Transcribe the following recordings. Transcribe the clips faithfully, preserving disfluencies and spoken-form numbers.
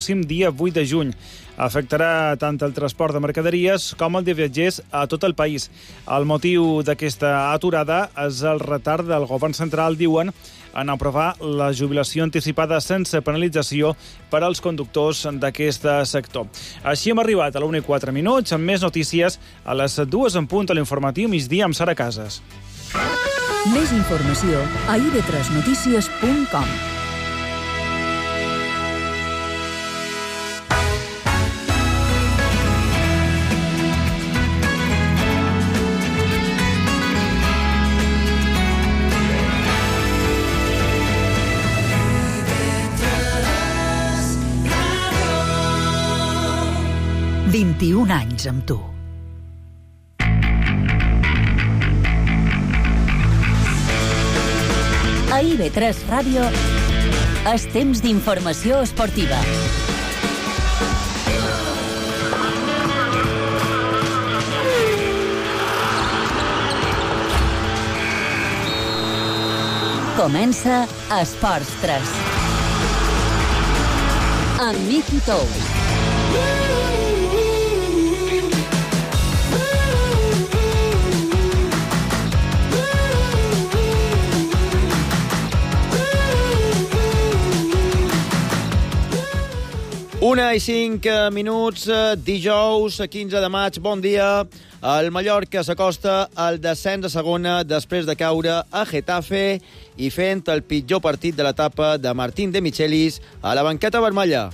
pròxim dia vuit de juny. Afectarà tant el transport de mercaderies com el de viatgers a tot el país. El motiu d'aquesta aturada és el retard del govern central, diuen, en aprovar la jubilació anticipada sense penalització per als conductors d'aquest sector. Així hem arribat a l'una i quatre minuts, amb més notícies a les dues en punt a l'informatiu migdia amb Sara Casas. Més informació a i ve tres notícies punt com. vint-i-un anys amb tu. A i ve tres Ràdio és temps d'informació esportiva. Comença Esports tres. Amb Miqui Tous. Una i cinc minuts, dijous, quinze de maig, bon dia. El Mallorca s'acosta al descens a segona després de caure a Getafe i fent el pitjor partit de l'etapa de Martín de Michelis a la banqueta vermella.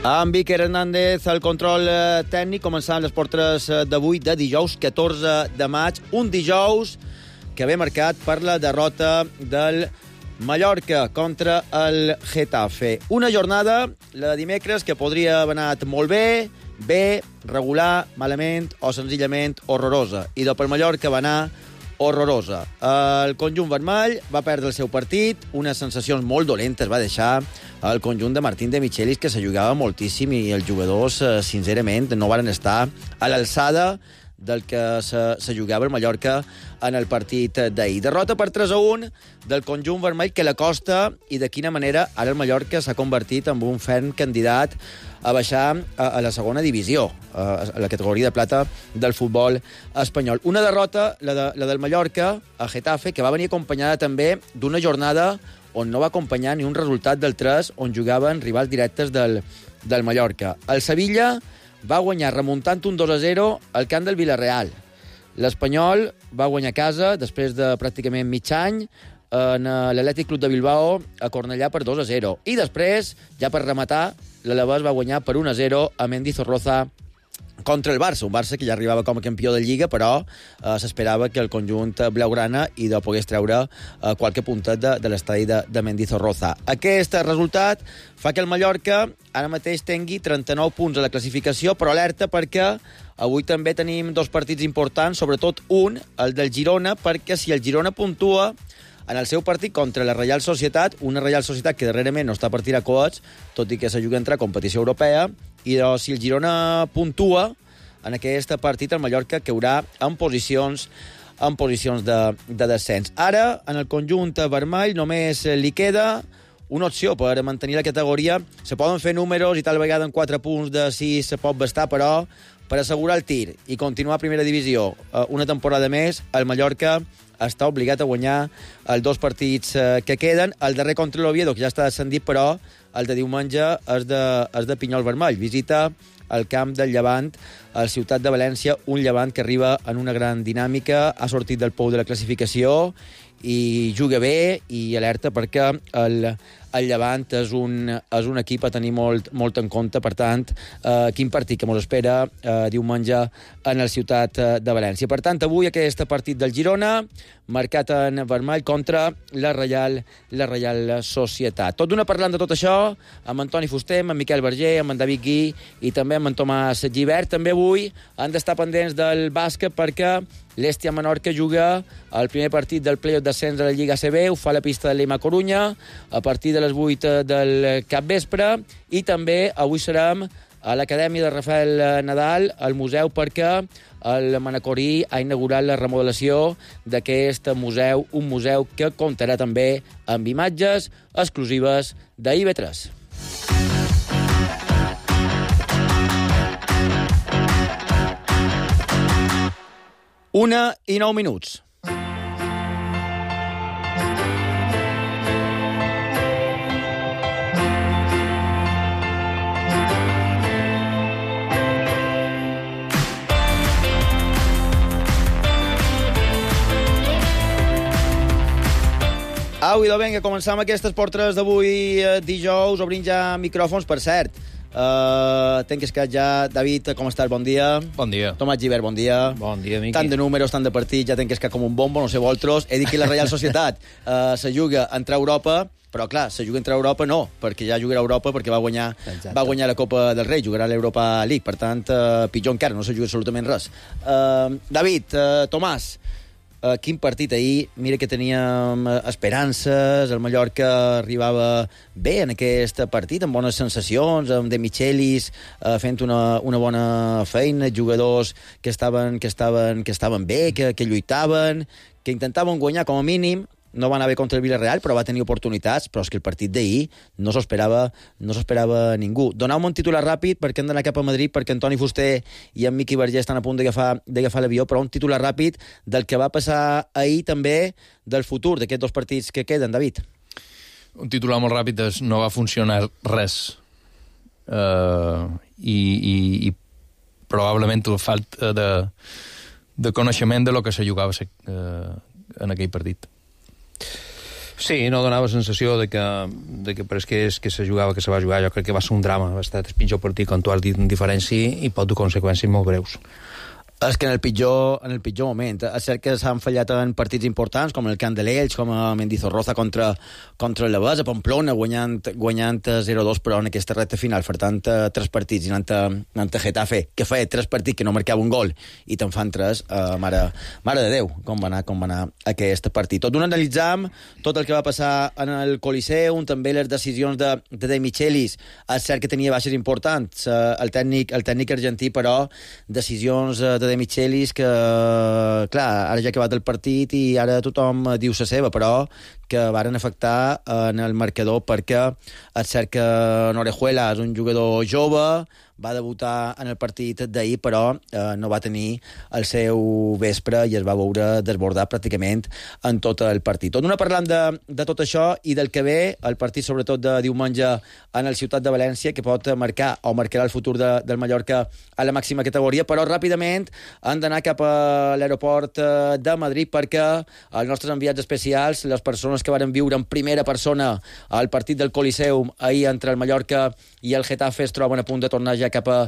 Amb Iker Hernández al control tècnic, començant les portes d'avui de dijous, catorze de maig, un dijous que ve marcat per la derrota del Mallorca contra el Getafe. Una jornada, la de dimecres, que podria haver anat molt bé, bé, regular, malament o senzillament horrorosa. I dopo el Mallorca va anar horrorosa. El conjunt vermell va perdre el seu partit, unes sensacions molt dolentes va deixar el conjunt de Martín de Michelis, que se jugava moltíssim i els jugadors, sincerament, no van estar a l'alçada del que se, se jugava el Mallorca en el partit d'ahir. Derrota per tres a un del conjunt vermell, que la costa, i de quina manera ara el Mallorca s'ha convertit en un ferm candidat a baixar a, a la segona divisió, a, a la categoria de plata del futbol espanyol. Una derrota, la, de, la del Mallorca a Getafe, que va venir acompanyada també d'una jornada on no va acompanyar ni un resultat del tres, on jugaven rivals directes del, del Mallorca. El Sevilla va guanyar remuntant un dos a zero al camp del Villarreal. L'Espanyol va guanyar a casa després de pràcticament mig any en l'Atlètic Club de Bilbao a Cornellà per dos a zero. I després, ja per rematar, l'Alavés va guanyar per un a zero a Mendizorroza contra el Barça, un Barça que ja arribava com a campió de Lliga, però eh, s'esperava que el conjunt blaugrana i de pogués treure eh, qualque puntet de, de l'estadi de, de Mendizorroza. Aquest resultat fa que el Mallorca ara mateix tingui trenta-nou punts a la classificació, però alerta perquè avui també tenim dos partits importants, sobretot un, el del Girona, perquè si el Girona puntua en el seu partit contra la Reial Societat, una Reial Societat que darrerament no està per tirar coets, tot i que se juga entre competició europea, i doncs, si el Girona puntua en aquest partit, el Mallorca caurà en posicions en posicions de, de descens. Ara, en el conjunt vermell, només li queda una opció per mantenir la categoria. Se poden fer números i tal vegada en quatre punts de sis se pot bastar, però per assegurar el tir i continuar a primera divisió una temporada més, el Mallorca està obligat a guanyar els dos partits que queden. El darrer contra l'Oviedo, que ja està descendit, però el de diumenge és de, és de Pinyol Vermell. Visita el camp del Llevant, a la ciutat de València, un Llevant que arriba en una gran dinàmica, ha sortit del pou de la classificació i juga bé, i alerta perquè el, el Llevant és un, és un equip a tenir molt, molt en compte. Per tant, eh, quin partit que mos espera eh, diumenge en la ciutat de València. Per tant, avui aquest partit del Girona, marcat en vermell contra la Reial, la Reial Societat. Tot d'una parlant de tot això, amb Antoni Fuster, amb Miquel Verger, amb en David Gui i també amb en Tomàs Gibert. També avui han d'estar pendents del bàsquet perquè l'Hèstia Menorca juga el primer partit del play-off d'ascens de la Lliga A C B, ho fa a la pista de l'E M A Corunya, a partir de les vuit del capvespre, i també avui serem a l'Acadèmia de Rafael Nadal, al museu, perquè el Manacorí ha inaugurat la remodelació d'aquest museu, un museu que comptarà també amb imatges exclusives d'I V tres. Una i nou minuts. Au, idò, vinga, començam aquestes portres d'avui eh, dijous, obrint ja micròfons, per cert. Uh, tenc escat ja. David, com estàs? Bon dia. Bon dia. Tomàs Gibert, bon dia. Bon dia, Miqui. Tant de números, tant de partits, ja tenc escat com un bombo, no sé vosaltres. He dit que la Reial Societat uh, se juga a entrar a Europa, però clar, se juga a entrar a Europa no, perquè ja jugarà a Europa perquè va guanyar, va guanyar la Copa del Rei, jugarà a l'Europa League, per tant, uh, pitjor encara, no se juga absolutament res. Uh, David, uh, Tomàs, Uh, quin partit ahir. Mira que teníem esperances, el Mallorca arribava bé en aquest partit, amb bones sensacions, amb De Michelis uh, fent una, una bona feina, jugadors que estaven, que estaven, que estaven bé, que, que lluitaven, que intentaven guanyar com a mínim. No va anar bé contra el Villarreal, però va tenir oportunitats, però és que el partit d'ahir no s'ho esperava, no s'ho esperava ningú. Donau-me un titular ràpid, perquè hem d'anar cap a Madrid, perquè Antoni Fuster i en Miqui Vergés estan a punt d'agafar d'agafar l'avió, però un titular ràpid del que va passar ahir també, del futur d'aquests dos partits que queden, David. Un titular molt ràpid és no va funcionar res. Uh, i, i, I probablement la falta de, de coneixement de lo que se jugava uh, en aquell partit. Sí, no donava sensació de que, de que per que, és, que se jugava, que se va jugar. Jo crec que va ser un drama. Va estar el pitjor partit, com tu has dit, en diferència, i pot dur conseqüències molt greus. És que en el pitjor, en el pitjor moment. És cert que s'han fallat en partits importants, com el Camp de l'Elx, com a Mendizorroza contra, contra el Llavès, a Pamplona, guanyant, guanyant zero dos, però en aquesta recta final, faltant tres partits, i anant a, anant a Getafe, que feia tres partits que no marcava un gol, i te'n fan tres, uh, mare, mare de Déu, com va anar, com va anar aquest partit. Tot d'un analitzam tot el que va passar en el Coliseum, també les decisions de, de De Michelis. És cert que tenia baixes importants, uh, el, tècnic, el tècnic argentí, però decisions uh, de De Michelis que, clar, ara ja ha acabat el partit i ara tothom diu la seva, però que varen afectar en el marcador, perquè és cert que Orejuela és un jugador jove, va debutar en el partit d'ahir, però eh, no va tenir el seu vespre i es va veure desbordat pràcticament en tot el partit. Tot una parlant de, de tot això i del que ve, el partit sobretot de diumenge en el Ciutat de València, que pot marcar o marcarà el futur de, del Mallorca a la màxima categoria, però ràpidament han d'anar cap a l'aeroport de Madrid, perquè els nostres enviats especials, les persones que varen viure en primera persona el partit del Coliseum ahir entre el Mallorca i el Getafe, es troben a punt de tornar ja cap a,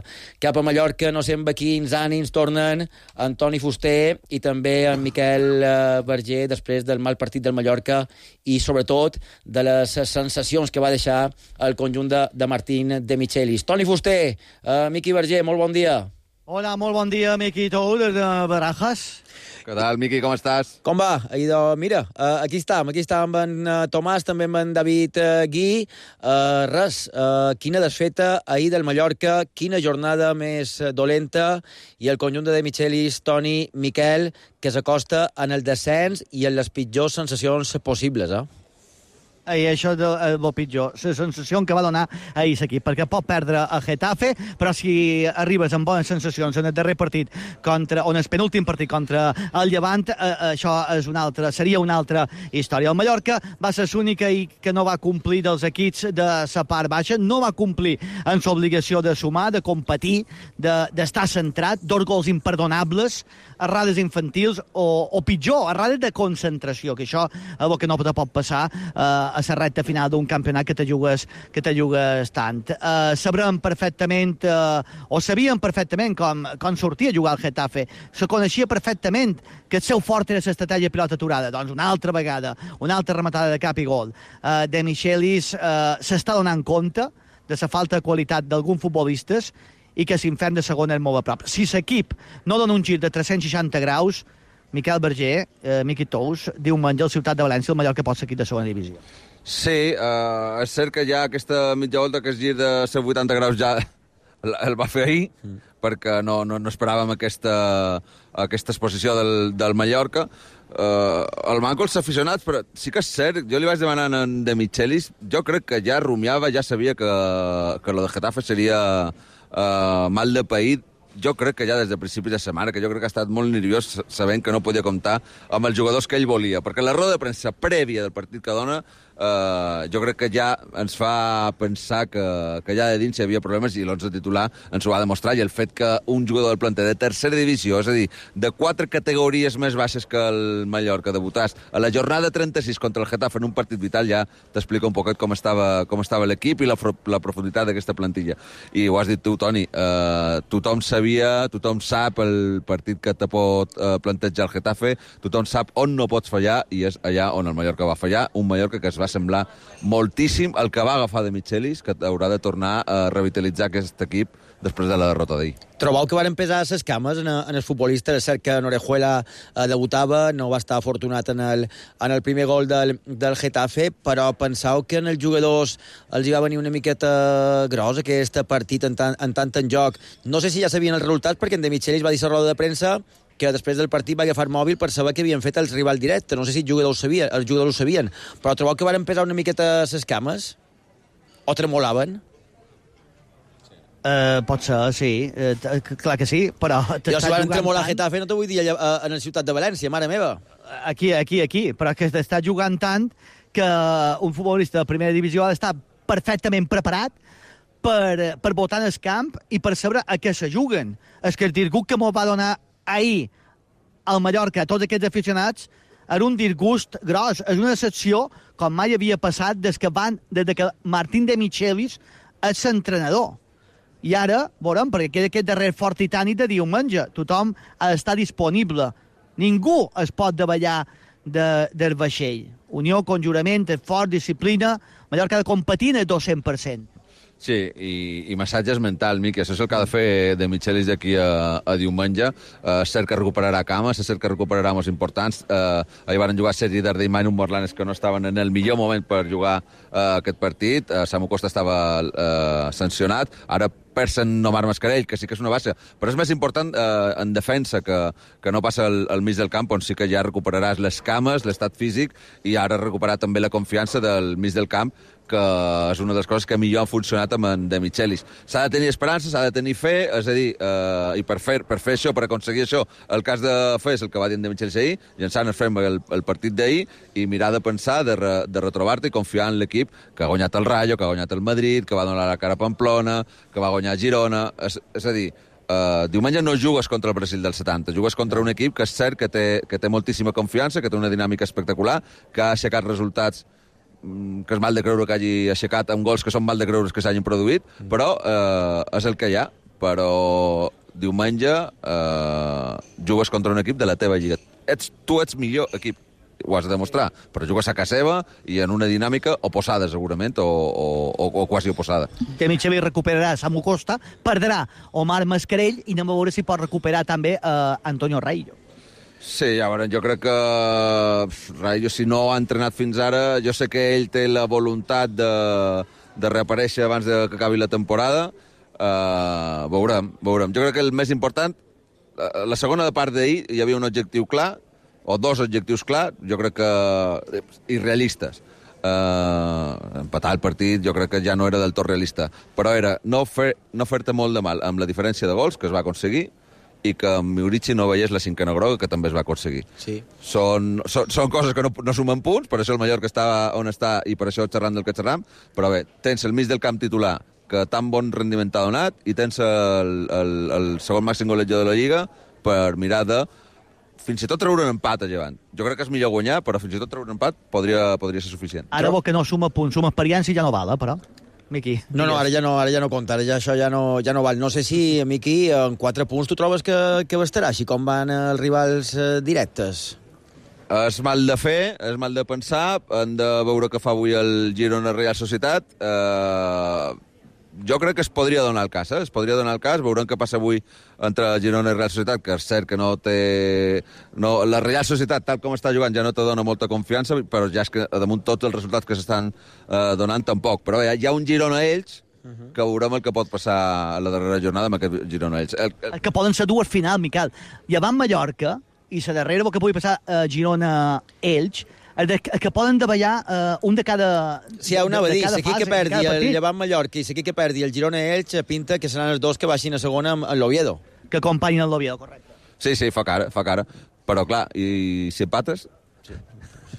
cap a Mallorca. No sé amb quins ànims tornen Antoni Fuster i també en Miquel Verger després del mal partit del Mallorca i sobretot de les sensacions que va deixar el conjunt de, de Martín De Michelis. Toni Fuster, uh, Miqui Verger, molt bon dia. Hola, molt bon dia, Miqui, tu, des de Barajas. Què tal, Miqui, com estàs? Com va? Idò, mira, uh, aquí estem, aquí estem amb en uh, Tomàs, també amb en David uh, Gui. Uh, res, uh, quina desfeta ahir del Mallorca, quina jornada més uh, dolenta, i el conjunt de De Michelis, Toni, Miquel, que s'acosta en el descens i en les pitjors sensacions possibles, eh? I això és el, el pitjor, la sensació que va donar ahir l'equip, perquè pot perdre a Getafe, però si arribes amb bones sensacions en el darrer partit contra, o en el penúltim partit contra el Llevant, eh, això és una altra, seria una altra història. El Mallorca va ser l'única que no va complir dels equips de la part baixa, no va complir en l'obligació de sumar, de competir, d'estar de, centrat, dos gols imperdonables, errades infantils, o, o pitjor, errades de concentració, que això és el que no te pot passar eh, a la recta final d'un campionat que te jugues, que te jugues tant. Uh, sabrem perfectament, uh, o sabíem perfectament com, com sortia a jugar al Getafe. Se coneixia perfectament que el seu fort era l'estratègia pilota aturada. Doncs una altra vegada, una altra rematada de cap i gol. Uh, De Michelis uh, s'està donant compte de la falta de qualitat d'alguns futbolistes i que l'infern de segona és molt a prop. Si l'equip no dona un gir de tres-cents seixanta graus, Miquel Verger, eh, Miqui Tous, diumenge al Ciutat de València, el Mallorca pot ser equip de segona divisió. Sí, uh, és cert que ja aquesta mitja volta que es gir de cent vuitanta graus ja el, el va fer ahir, mm. perquè no, no, no esperàvem aquesta, aquesta exposició del, del Mallorca. Uh, el manco els aficionats, però sí que és cert, jo li vaig demanar en De Michelis, jo crec que ja rumiava, ja sabia que, que lo de Getafe seria uh, mal de paït. Jo crec que ja des de principis de setmana, que jo crec que ha estat molt nerviós sabent que no podia comptar amb els jugadors que ell volia, perquè la roda de premsa prèvia del partit que dona eh, jo crec que ja ens fa pensar que, que ja de dins hi havia problemes i l'onze titular ens ho va demostrar, i el fet que un jugador del planter de tercera divisió, és a dir, de quatre categories més baixes que el Mallorca, debutàs a la jornada trenta-sis contra el Getafe en un partit vital, ja t'explica un poquet com estava, com estava l'equip i la, la profunditat d'aquesta plantilla. I ho has dit tu, Toni, eh, tothom sabia Sabia, tothom sap el partit que te pot eh, plantejar el Getafe, tothom sap on no pots fallar, i és allà on el Mallorca va fallar, un Mallorca que es va semblar moltíssim el que va agafar de Michelis, que haurà de tornar a revitalitzar aquest equip després de la derrota d'ahir. Trobeu que varen pesar les cames en, en els futbolistes? És cert que Orejuela eh, debutava, no va estar afortunat en el, en el primer gol del, del Getafe, però penseu que en els jugadors els hi va venir una miqueta gros aquest partit en tant en, tant en joc. No sé si ja sabien els resultats, perquè en De Michelis va dir a la roda de premsa que després del partit va agafar mòbil per saber què havien fet els rivals directes. No sé si els jugadors ho sabien, els jugadors ho sabien, però trobeu que varen pesar una miqueta les cames? O tremolaven? Uh, pot ser, sí. Uh, clar que sí, però... Jo si van tremolar tant... Getafe no t'ho vull dir allà, uh, en la ciutat de València, mare meva. Aquí, aquí, aquí. Però que està jugant tant que un futbolista de primera divisió ha d'estar perfectament preparat per, per votar en el camp i per saber a què se juguen. És que el disgust que m'ho va donar ahir al Mallorca a tots aquests aficionats era un disgust gros. És una decepció com mai havia passat des que, van, des que Martín de Michelis és l'entrenador. I ara, veurem, perquè queda aquest darrer fort titànic de diumenge. Tothom ha d'estar disponible. Ningú es pot davallar de, del vaixell. Unió, conjurament, esforç, disciplina. Mallorca ha de competir en el dos-cents per cent. Sí, i, i massatges mental, Miqui. Això és el que ha de fer De Michelis d'aquí a, a diumenge. Uh, és cert que recuperarà cames, és cert que recuperarà molts importants. Uh, ahir van jugar Sergi Darder i Manu Morlanes, que no estaven en el millor moment per jugar uh, aquest partit. Uh, Samu Costa estava uh, sancionat. Ara persen Omar Mascarell, que sí que és una baixa, però és més important eh, en defensa que, que no passa al, al mig del camp, on sí que ja recuperaràs les cames, l'estat físic, i ara recuperar també la confiança del mig del camp, que és una de les coses que millor han funcionat amb en De Michelis. S'ha de tenir esperança, s'ha de tenir fe, és a dir, eh, i per fer, per fer això, per aconseguir això, el cas de fer és el que va dir en De Michelis ahir, llançant el frame el, el partit d'ahir, i mirar de pensar, de, re, de retrobar-te i confiar en l'equip que ha guanyat el Rayo, que ha guanyat el Madrid, que va donar la cara a Pamplona, que va guanyar Girona. És, és a dir, uh, diumenge no jugues contra el Brasil del setanta, jugues contra un equip que és cert que té, que té moltíssima confiança, que té una dinàmica espectacular, que ha aixecat resultats que és mal de creure que hagi aixecat amb gols que són mal de creure que s'hagin produït, però eh, és el que hi ha. Però diumenge eh, jugues contra un equip de la teva lliga. Ets, tu ets millor equip, ho has de demostrar, però jugues a casa seva i en una dinàmica oposada, segurament, o, o, o quasi oposada. De Michelis recuperarà Samu Costa, perdrà Omar Mascarell i anem a veure si pot recuperar també eh, Antonio Raillo. Sí, ja veurem, jo crec que Raillo, si no ha entrenat fins ara, jo sé que ell té la voluntat de, de reaparèixer abans de que acabi la temporada. Uh, veurem, veurem. Jo crec que el més important, la segona part d'ahir hi havia un objectiu clar, o dos objectius clars, jo crec que irrealistes. Uh, empatar el partit jo crec que ja no era del tot realista, però era no, fer, no fer-te molt de mal amb la diferència de gols que es va aconseguir i que en Miurici no veiés la cinquena groga, que també es va aconseguir. Sí. Són, són, són coses que no, no sumen punts, per això el Mallorca està on està i per això xerrant del que xerram, però bé, tens el mig del camp titular que tan bon rendiment t'ha donat i tens el, el, el segon màxim golejador de la Lliga per mirar de fins i tot treure un empat a Llevant. Jo crec que és millor guanyar, però fins i tot treure un empat podria, podria ser suficient. Ara vol que no suma punts, suma experiència i ja no val, eh, però... Miqui. No, no, ara ja no, ara ja no compta, ara ja això ja no, ja no val. No sé si, Miqui, en quatre punts tu trobes que, que bastarà, així com van els rivals eh, directes? És mal de fer, és mal de pensar, hem de veure què fa avui el Girona Real Societat. Eh, jo crec que es podria donar el cas, eh? Es podria donar el cas, veurem què passa avui entre Girona i Real Societat, que és cert que no té... No, la Real Societat, tal com està jugant, ja no te dona molta confiança, però ja és que damunt tots els resultats que s'estan eh, donant tampoc. Però hi ha, hi ha un Girona a ells uh-huh. que veurem el que pot passar a la darrera jornada amb aquest Girona-Elx. El, el... Que poden ser dues finals, Miquel. Llevant Mallorca i la darrera que pugui passar a Girona-Elx, el, de, el que poden davallar uh, un de cada Sí, ja ho anava a dir, si aquí que perdi el Llevant Mallorca i si aquí que perdi el Girona-Elx, pinta que seran els dos que baixin a segona amb l'Oviedo. Que acompanyin l'Oviedo, correcte. Sí, sí, fa cara, fa cara. Però, clar, i si empates... Sí.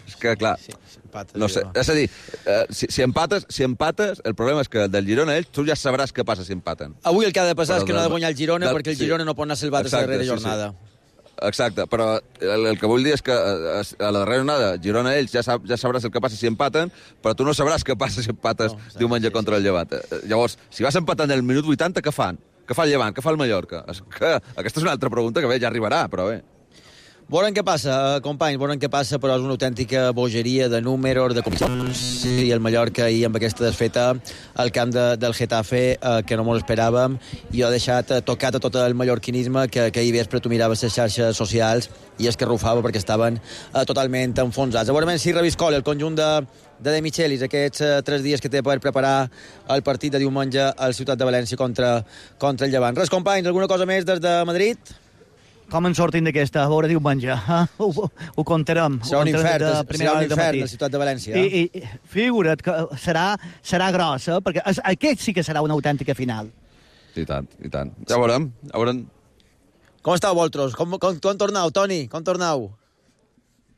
És que, clar... Sí, si empates, no sé, és a dir, uh, si, si, empates, si empates, el problema és que del Girona-Elx tu ja sabràs què passa si empaten. Avui el que ha de passar però és que de, no ha de guanyar el Girona de, perquè el sí. Girona no pot anar salvat a la darrera jornada. Sí, sí. Exacte, però el, el que vull dir és que a, a la darrera jornada Girona-Elx ja, sab, ja sabràs el que passa si empaten, però tu no sabràs què passa si empates no, diumenge sí, contra el Llevant. Llavors, si vas empatant el minut vuitanta, què fan? Què fa el Llevant? Què fa el Mallorca? És que aquesta és una altra pregunta que bé, ja arribarà, però bé. Veurem què passa, companys, veurem què passa, però és una autèntica bogeria de números, de competicions, i el Mallorca ahir amb aquesta desfeta al camp de, del Getafe, eh, que no mos esperàvem, i ho ha deixat eh, tocat a tot el mallorquinisme que, que ahir vespre tu miraves les xarxes socials i es que rufava perquè estaven eh, totalment enfonsats. Veurem si reviscola el conjunt de, de De Michelis aquests eh, tres dies que té per preparar el partit de diumenge al Ciutat de València contra, contra el Llevant. Res, companys, alguna cosa més des de Madrid? Com en sortim d'aquesta? A veure, diumenge. Eh? Ho, ho, ho comptarem. Serà un infern, serà un infern a la Ciutat de València. I, i figura't que serà, serà grossa, perquè és, aquest sí que serà una autèntica final. I tant, i tant. Ja veurem, ja veurem. Com estàu, vosaltres? Com, com, com tornau, Toni? Com tornau?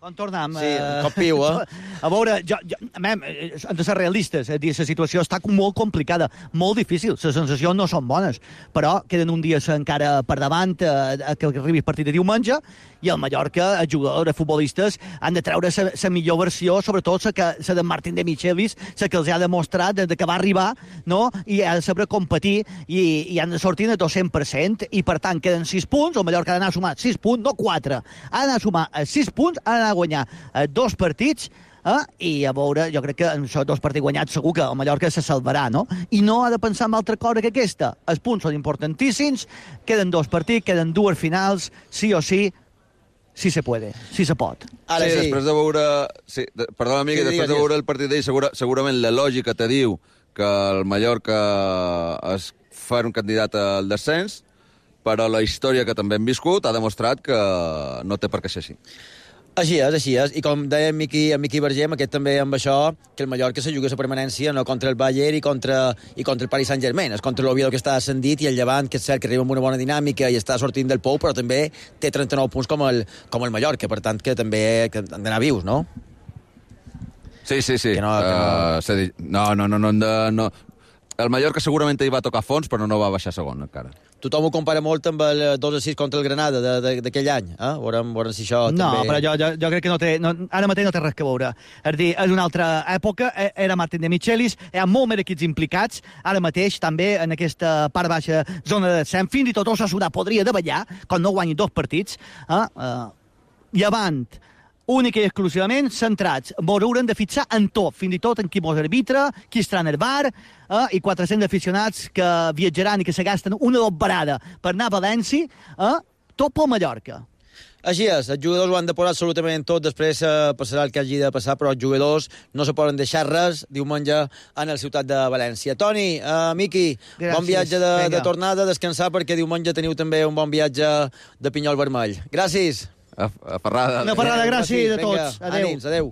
Com tornem? Sí, un cop piu, eh? A veure, jo, jo, mem, hem de ser realistes. És dir, la situació està molt complicada, molt difícil. Les sensacions no són bones, però queden un dia encara per davant eh, que arribi el partit de diumenge i el Mallorca, els jugadors, els futbolistes, han de treure la millor versió, sobretot la de Martín de Michelis, la que els ha demostrat des que va arribar, no? I ha de saber competir i, i han de sortir de dos cents per cent i, per tant, queden sis punts. El Mallorca ha d'anar a sumar sis punts, no quatre. Ha d'anar a sumar sis punts, ha d'anar a guanyar eh, dos partits, eh? I a veure, jo crec que en això dos partits guanyats segur que el Mallorca se salvarà, no? I no ha de pensar en altra cosa que aquesta. Els punts són importantíssims, queden dos partits, queden dues finals, sí o sí, sí se puede, sí se pot. Ara sí, sí. Després de veure... Sí, de, perdona, amic, sí, després digues, de veure el partit d'ell, segura, segurament la lògica te diu que el Mallorca es fa un candidat al descens, però la història que també hem viscut ha demostrat que no té per què ser així. Així és, així és. I com deia en Miqui, en Miqui Vergem, aquest també amb això, que el Mallorca se juga la permanència no contra el Bayern i contra, i contra el Paris Saint-Germain. És contra l'Oviedo que està ascendit i el Llevant, que és cert que arriba amb una bona dinàmica i està sortint del pou, però també té trenta-nou punts com el, com el Mallorca, per tant que també que han d'anar vius, no? Sí, sí, sí. Que no, que no... Uh, no, no, no, no, no, no. El Mallorca segurament hi va tocar fons, però no va baixar segon encara. Tothom ho compara molt amb el dos a sis contra el Granada d'aquell any, eh? Veurem, veurem si això no, també... No, però jo, jo, jo crec que no té... No, ara mateix no té res que veure. És dir, és una altra època, era Martín de Michelis, hi ha molt més equips implicats, ara mateix també en aquesta part baixa zona de descens, fins i tot Osasuna podria davallar, quan no guanyi dos partits, eh? Uh, Llevant, únic i exclusivament centrats. Mos haurem de fixar en tot, fins i tot en qui mos arbitra, qui estarà en el bar, eh, i quatre-cents aficionats que viatjaran i que se gasten una dobarada per anar a València, eh, tot pel Mallorca. Així és, els jugadors ho han de posar absolutament tot, després eh, passarà el que hagi de passar, però els jugadors no se poden deixar res diumenge en el Ciutat de València. Toni, uh, Miqui, Gràcies. Bon viatge de, de tornada, descansar, perquè diumenge teniu també un bon viatge de pinyol vermell. Gràcies. A, a Ferrada. Una Ferrada, gràcies a tots. Adéu. Ànims, adéu.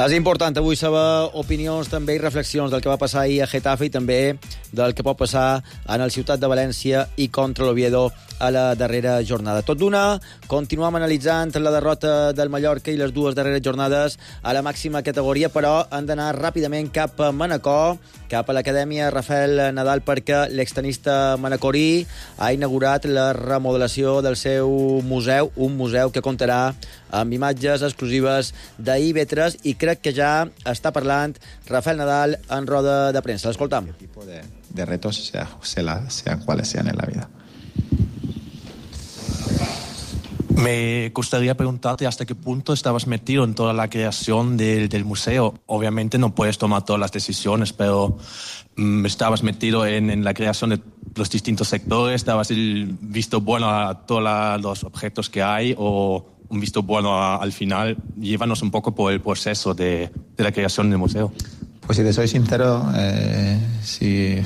És important avui saber opinions també i reflexions del que va passar ahir a Getafe i també del que pot passar en el Ciutat de València i contra l'Oviedo a la darrera jornada. Tot d'una, continuem analitzant la derrota del Mallorca i les dues darreres jornades a la màxima categoria, però han d'anar ràpidament cap a Manacor, cap a l'Acadèmia Rafael Nadal, perquè l'extenista manacorí ha inaugurat la remodelació del seu museu, un museu que comptarà amb imatges exclusives d'I V tres i crec que ja està parlant Rafael Nadal en roda de premsa. L'escoltam. ¿Qué tipo de, de retos sea, sea, sean cuales sean en la vida? Me gustaría preguntarte hasta qué punto estabas metido en toda la creación del, del museo. Obviamente no puedes tomar todas las decisiones, pero mm, estabas metido en, en la creación de los distintos sectores, dabas el visto bueno a todos la, los objetos que hay o un visto bueno a, al final. Llévanos un poco por el proceso de, de la creación del museo. Pues si te soy sincero, eh, si,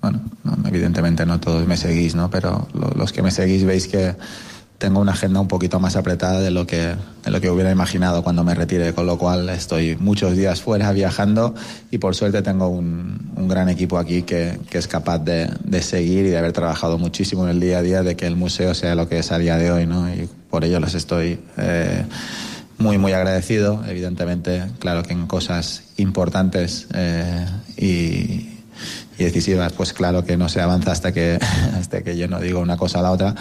bueno, no, evidentemente no todos me seguís, ¿no? Pero lo, los que me seguís veis que tengo una agenda un poquito más apretada de lo que de lo que hubiera imaginado cuando me retire, con lo cual estoy muchos días fuera viajando y por suerte tengo un, un gran equipo aquí que, que es capaz de, de seguir y de haber trabajado muchísimo en el día a día de que el museo sea lo que es a día de hoy, ¿no? Y por ello les estoy eh, muy, muy agradecido. Evidentemente, claro que en cosas importantes eh, y, y decisivas, pues claro que no se avanza hasta que, hasta que yo no digo una cosa a la otra.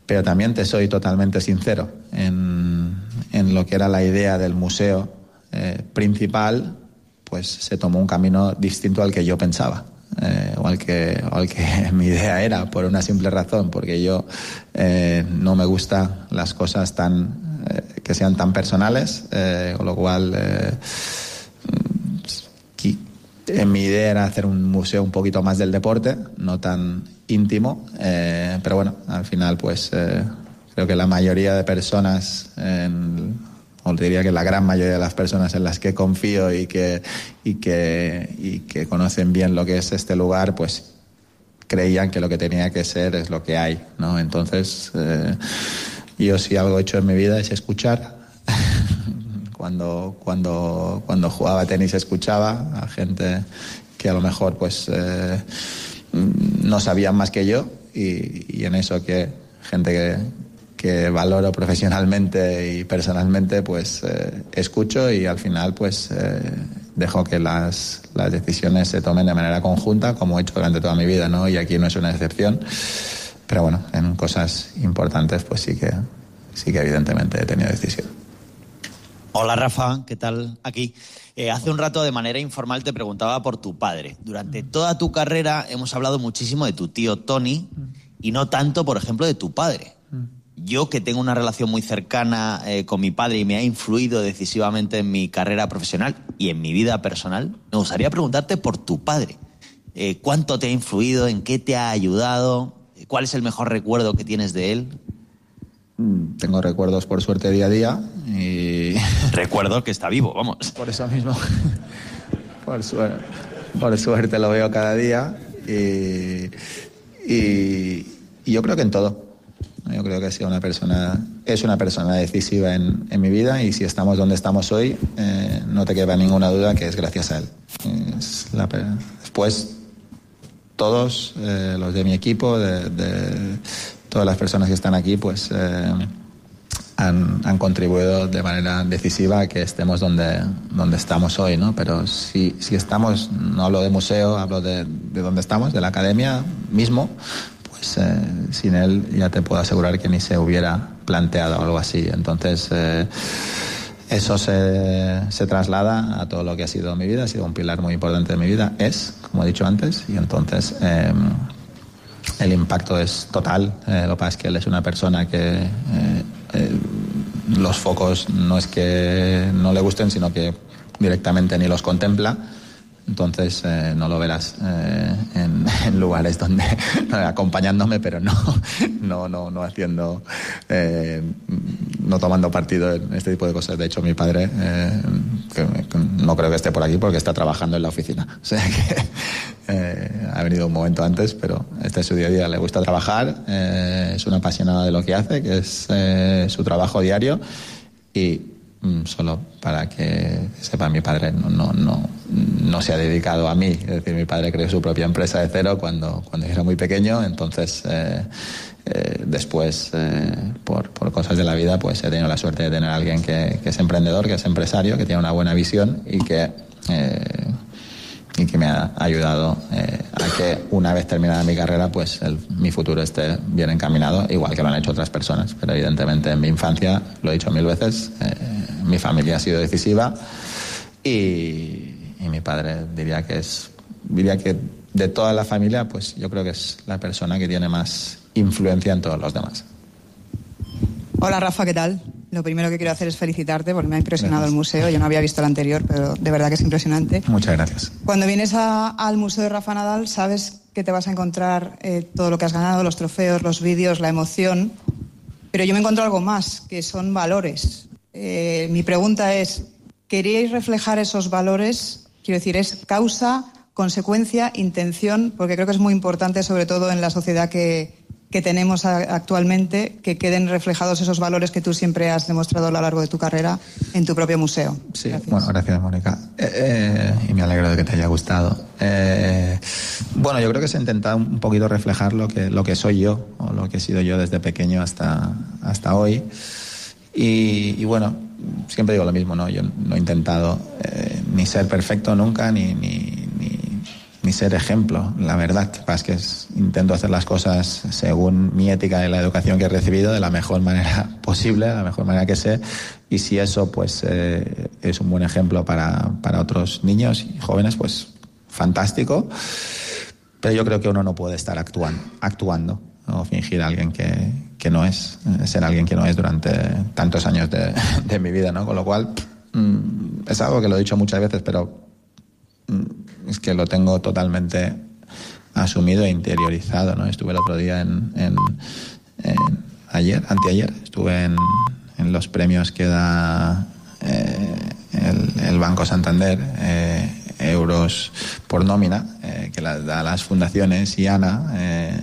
Pero también te soy totalmente sincero en, en lo que era la idea del museo eh, principal, pues se tomó un camino distinto al que yo pensaba eh, o, al que, o al que mi idea era, por una simple razón, porque yo eh, no me gustan las cosas tan eh, que sean tan personales, eh, con lo cual eh, en mi idea era hacer un museo un poquito más del deporte, no tan íntimo, eh, pero bueno, al final pues eh, creo que la mayoría de personas, en, o diría que la gran mayoría de las personas en las que confío y que, y que, y que conocen bien lo que es este lugar, pues creían que lo que tenía que ser es lo que hay, ¿no? Entonces, eh, yo si algo he hecho en mi vida es escuchar. Cuando, cuando, cuando jugaba tenis escuchaba a gente que a lo mejor pues eh, no sabían más que yo y, y en eso que gente que, que valoro profesionalmente y personalmente pues eh, escucho y al final pues eh, dejo que las, las decisiones se tomen de manera conjunta como he hecho durante toda mi vida, ¿no? Y aquí no es una excepción, pero bueno, en cosas importantes pues sí que, sí que evidentemente he tenido decisión. Hola Rafa, ¿qué tal? Aquí. Eh, hace un rato de manera informal te preguntaba por tu padre. Durante toda tu carrera hemos hablado muchísimo de tu tío Tony y no tanto, por ejemplo, de tu padre. Yo, que tengo una relación muy cercana eh, con mi padre y me ha influido decisivamente en mi carrera profesional y en mi vida personal, me gustaría preguntarte por tu padre. Eh, ¿Cuánto te ha influido? ¿En qué te ha ayudado? ¿Cuál es el mejor recuerdo que tienes de él? Tengo recuerdos por suerte día a día y... Recuerdo que está vivo, vamos. Por eso mismo. Por suerte, por suerte lo veo cada día y, y, y yo creo que en todo. Yo creo que ha sido una persona, es una persona decisiva en, en mi vida y si estamos donde estamos hoy, eh, no te queda ninguna duda que es gracias a él. Es la, después, todos eh, los de mi equipo, de... de todas las personas que están aquí pues eh, han, han contribuido de manera decisiva a que estemos donde, donde estamos hoy, ¿no? Pero si, si estamos, no hablo de museo, hablo de, de donde estamos, de la academia mismo, pues eh, sin él ya te puedo asegurar que ni se hubiera planteado algo así. Entonces eh, eso se, se traslada a todo lo que ha sido mi vida, ha sido un pilar muy importante de mi vida, es, como he dicho antes, y entonces... Eh, el impacto es total. Eh, lo que pasa es que él es una persona que eh, eh, los focos no es que no le gusten, sino que directamente ni los contempla. Entonces eh, no lo verás eh, en, en lugares donde acompañándome, pero no no no no haciendo eh, no tomando partido en este tipo de cosas. De hecho, mi padre eh, que, que no creo que esté por aquí porque está trabajando en la oficina. O sea que eh, ha venido un momento antes, pero este es su día a día. Le gusta trabajar, eh, es un apasionado de lo que hace, que es eh, su trabajo diario y solo para que sepa, mi padre no, no, no, no se ha dedicado a mí. Es decir, mi padre creó su propia empresa de cero cuando, cuando era muy pequeño. Entonces, eh, eh, después, eh, por, por cosas de la vida, pues he tenido la suerte de tener a alguien que, que es emprendedor, que es empresario, que tiene una buena visión y que, eh, y que me ha ayudado eh, a que una vez terminada mi carrera, pues el, mi futuro esté bien encaminado, igual que lo han hecho otras personas. Pero evidentemente en mi infancia, lo he dicho mil veces, eh, mi familia ha sido decisiva y, y mi padre diría que es, diría que de toda la familia, pues yo creo que es la persona que tiene más influencia en todos los demás. Hola Rafa, ¿qué tal? lo primero que quiero hacer es felicitarte porque me ha impresionado gracias. El museo. Yo no había visto el anterior, pero de verdad que es impresionante. Muchas gracias. Cuando vienes a, al Museo de Rafa Nadal, sabes que te vas a encontrar eh, todo lo que has ganado, los trofeos, los vídeos, la emoción. Pero yo me encuentro algo más, que son valores. Eh, mi pregunta es, ¿queríais reflejar esos valores? Quiero decir, ¿es causa, consecuencia, intención? Porque creo que es muy importante, sobre todo en la sociedad que, que tenemos a, actualmente, que queden reflejados esos valores que tú siempre has demostrado a lo largo de tu carrera en tu propio museo. Sí, gracias. Bueno, gracias, Mónica. Eh, eh, y me alegro de que te haya gustado. Eh, bueno, yo creo que se ha intentado un poquito reflejar lo que, lo que soy yo, o lo que he sido yo desde pequeño hasta, hasta hoy. Y, y bueno, siempre digo lo mismo, ¿no? Yo no he intentado eh, ni ser perfecto nunca, ni, ni, ni, ni ser ejemplo, la verdad. Lo que pasa es que es, intento hacer las cosas según mi ética y la educación que he recibido de la mejor manera posible, de la mejor manera que sé. Y si eso pues eh, es un buen ejemplo para, para otros niños y jóvenes, pues fantástico. Pero yo creo que uno no puede estar actuando, actuando o fingir a alguien que, que no es, ser alguien que no es durante tantos años de, de mi vida, ¿no? Con lo cual, mmm, es algo que lo he dicho muchas veces, pero mmm, es que lo tengo totalmente asumido e interiorizado, ¿no? Estuve el otro día en, en, en ayer, anteayer, estuve en, en los premios que da eh, el, el Banco Santander, eh, euros por nómina, eh, que la, da a las fundaciones, y Ana, eh,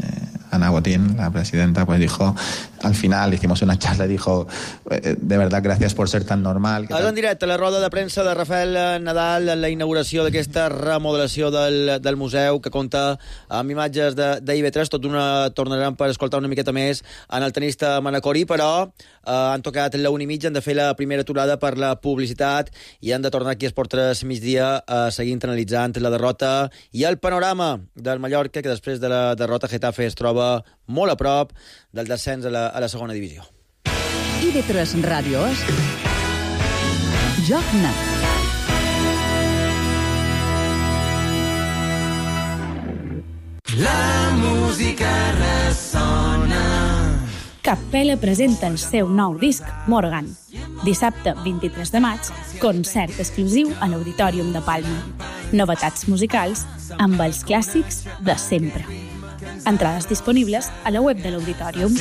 Ana Botín, la presidenta, pues dijo, al final hicimos una charla y dijo, eh, de verdad, gracias por ser tan normal. Ara en directe, la roda de premsa de Rafael Nadal en la inauguració d'aquesta remodelació del, del museu, que compta amb imatges d'I V tres. Tot una tornarem per escoltar una miqueta més en el tenista Manacori, però eh, han tocat la una i mitja, han de fer la primera aturada per la publicitat i han de tornar aquí a Esport tres migdia a seguir analitzant la derrota i el panorama del Mallorca, que després de la derrota Getafe es troba molt a prop del descens a la, a la segona divisió. I V tres Ràdio és Joc Net. La música ressona. Capella presenta el seu nou disc, Morgan. Dissabte vint-i-tres de maig, concert exclusiu a l'Auditorium de Palma. Novetats musicals amb els clàssics de sempre. Entrades disponibles a la web de l'Auditorium.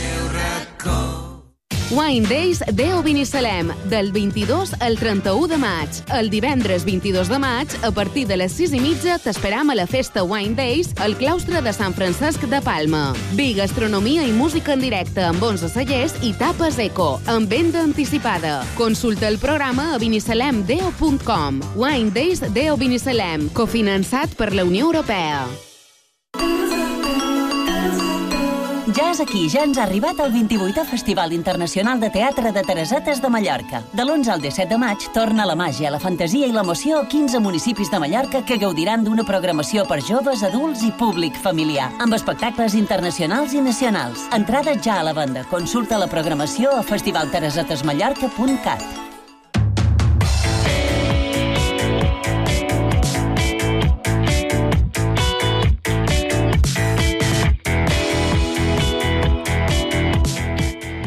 Wine Days Deo Binissalem, del vint-i-dos al trenta-u de maig. El divendres vint-i-dos de maig, a partir de les sis i mitja, t'esperam a la festa Wine Days al claustre de Sant Francesc de Palma. Vi, gastronomia i música en directe amb onze cellers i tapes eco, amb venda anticipada. Consulta el programa a binissalem deo punt com. Wine Days Deo Binissalem, cofinançat per la Unió Europea. Ja és aquí, ja ens ha arribat el vint-i-vuitè Festival Internacional de Teatre de Teresetes de Mallorca. De l'onze al disset de maig torna la màgia, la fantasia i l'emoció a quinze municipis de Mallorca que gaudiran d'una programació per joves, adults i públic familiar, amb espectacles internacionals i nacionals. Entrades ja a la venda. Consulta la programació a festival teresetes mallorca punt cat.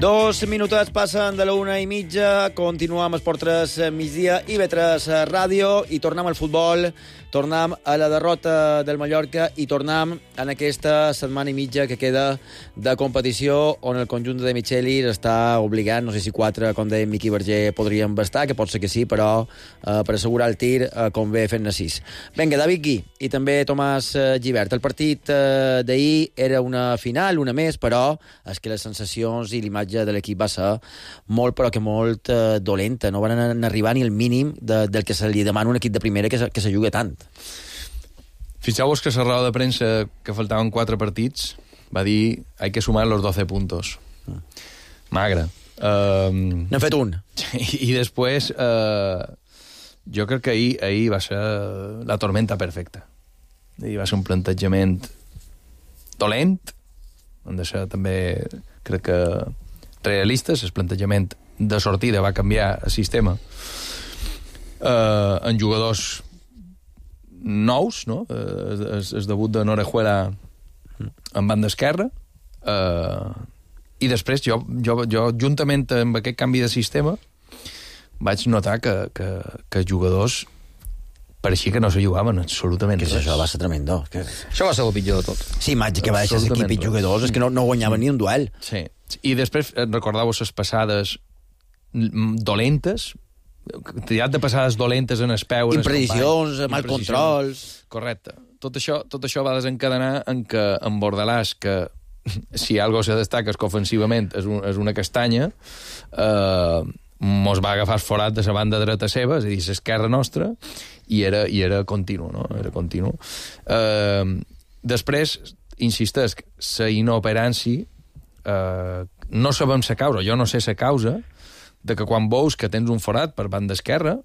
Dos minutets passen de la una i mitja, continuem amb Esport tres migdia, I V tres Ràdio, i tornem al futbol, tornem a la derrota del Mallorca i tornem en aquesta setmana i mitja que queda de competició on el conjunt de Micheli està obligant, no sé si quatre, com deia Miqui Verger, podrien bastar, que pot ser que sí, però eh, per assegurar el tir eh, convé fer-ne sis. Vinga, David Gui i també Tomàs eh, Gibert. El partit eh, d'ahir era una final, una més, però és que les sensacions i l'imatge de l'equip va ser molt, però que molt eh, dolenta. No van arribar ni al mínim de, del que se li demana un equip de primera que se, que se juga tant. Fixeu-vos que la roda de premsa, que faltaven quatre partits, va dir hay que sumar los doce puntos. Mm. Magre. Um, N'hem fet un. I, i després, uh, jo crec que ahir, ahir va ser la tormenta perfecta. Ahir va ser un plantejament dolent, han de ser també, crec que, realistes. El plantejament de sortida va canviar el sistema uh, en jugadors nous, no? El, el debut de Norejuela en banda esquerra, eh, I després jo, jo, jo, juntament amb aquest canvi de sistema, vaig notar que, que, que jugadors pareixia que no se jugaven absolutament que res. Això va ser tremendo. Que... Això va ser el pitjor de tot. Sí, imatge que va deixar l'equip i jugadors, és que no, no guanyaven ni un duel. Sí. I després recordàveu les passades dolentes, triat de passades dolentes en es peu... Imprecisions, mal controls... Correcte. Tot això, tot això va desencadenar en que en Bordalàs, que si algo se destaca és que ofensivament és, un, és una castanya, eh, mos va agafar forat de la banda dreta seva, és a dir, l'esquerra nostra, i era, i era continu, no? Era continu. Eh, després, insisteix, la inoperància, eh, no sabem la causa, jo no sé la causa, de que quan veus que tens un forat per banda esquerra,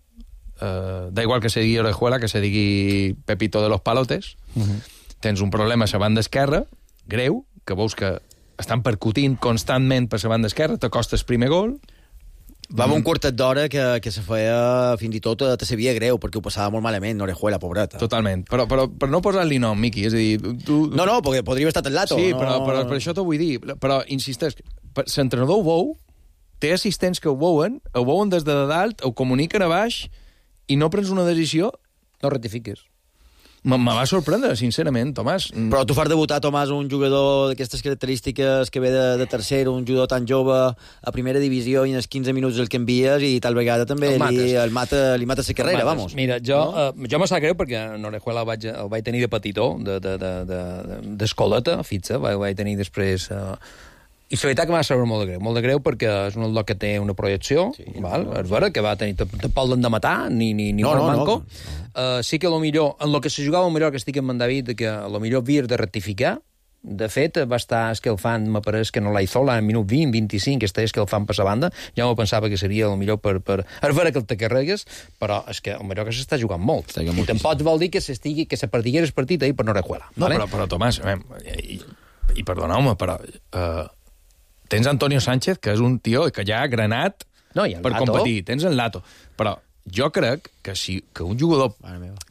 eh, da igual que se digui Orejuela, que se digui Pepito de los Palotes, uh -huh. tens un problema a la banda esquerra, greu, que veus que estan percutint constantment per la banda esquerra, t'acosta el primer gol... Va haver un quartet d'hora que, que se feia fins i tot te sabia greu, perquè ho passava molt malament, Orejuela, pobreta. Totalment, però, però per no posar-li nom, Miqui, és a dir... Tu... No, no, perquè podria haver estat el Lato. Sí, no... però, però per això t'ho vull dir. Però, insisteix, l'entrenador ho veu, té assistents que ho veuen, ho veuen des de dalt, ho comuniquen a baix, i no prens una decisió... No rectifiques. Me va sorprendre, sincerament, Tomàs. Però tu fas debutar, Tomàs, un jugador d'aquestes característiques que ve de, de tercer, un jugador tan jove a primera divisió i en els quinze minuts el canvies i tal vegada també el li, el mata, li mata la carrera, vamos. Mira, jo, no? uh, jo me sap greu perquè en Orejuela el vaig, el vaig tenir de petitó, d'escoleta, de, de, de, fitxa, vaig, vaig tenir després... Uh, I la veritat que m'ha sabut molt de greu, molt de greu perquè és un lot que té una projecció, sí, val? No, no. És vera, que va tenir... Tampoc l'han de matar, ni, ni, ni no, molt no, manco. No, no. Uh, sí que a lo millor, en lo que se jugava millor que estic amb en David, que a lo millor havies de rectificar. De fet, va estar escalfant, m'apareix que no la Izola, en minut vint, vint-i-cinc, que està escalfant per la banda. Ja m'ho pensava que seria el millor per... per... És vera que el te carregues, però és que el millor que s'està jugant molt. I tampoc vol dir que s'estigui, que se perdigués el partit ahir per no Orejuela. No, vale? però, però Tomàs, i, i perdoneu-me, però... Uh... Tens Antonio Sánchez, que és un tio que ja ha granat no, per Lato. competir. Tens el Lato. Però jo crec que si que un jugador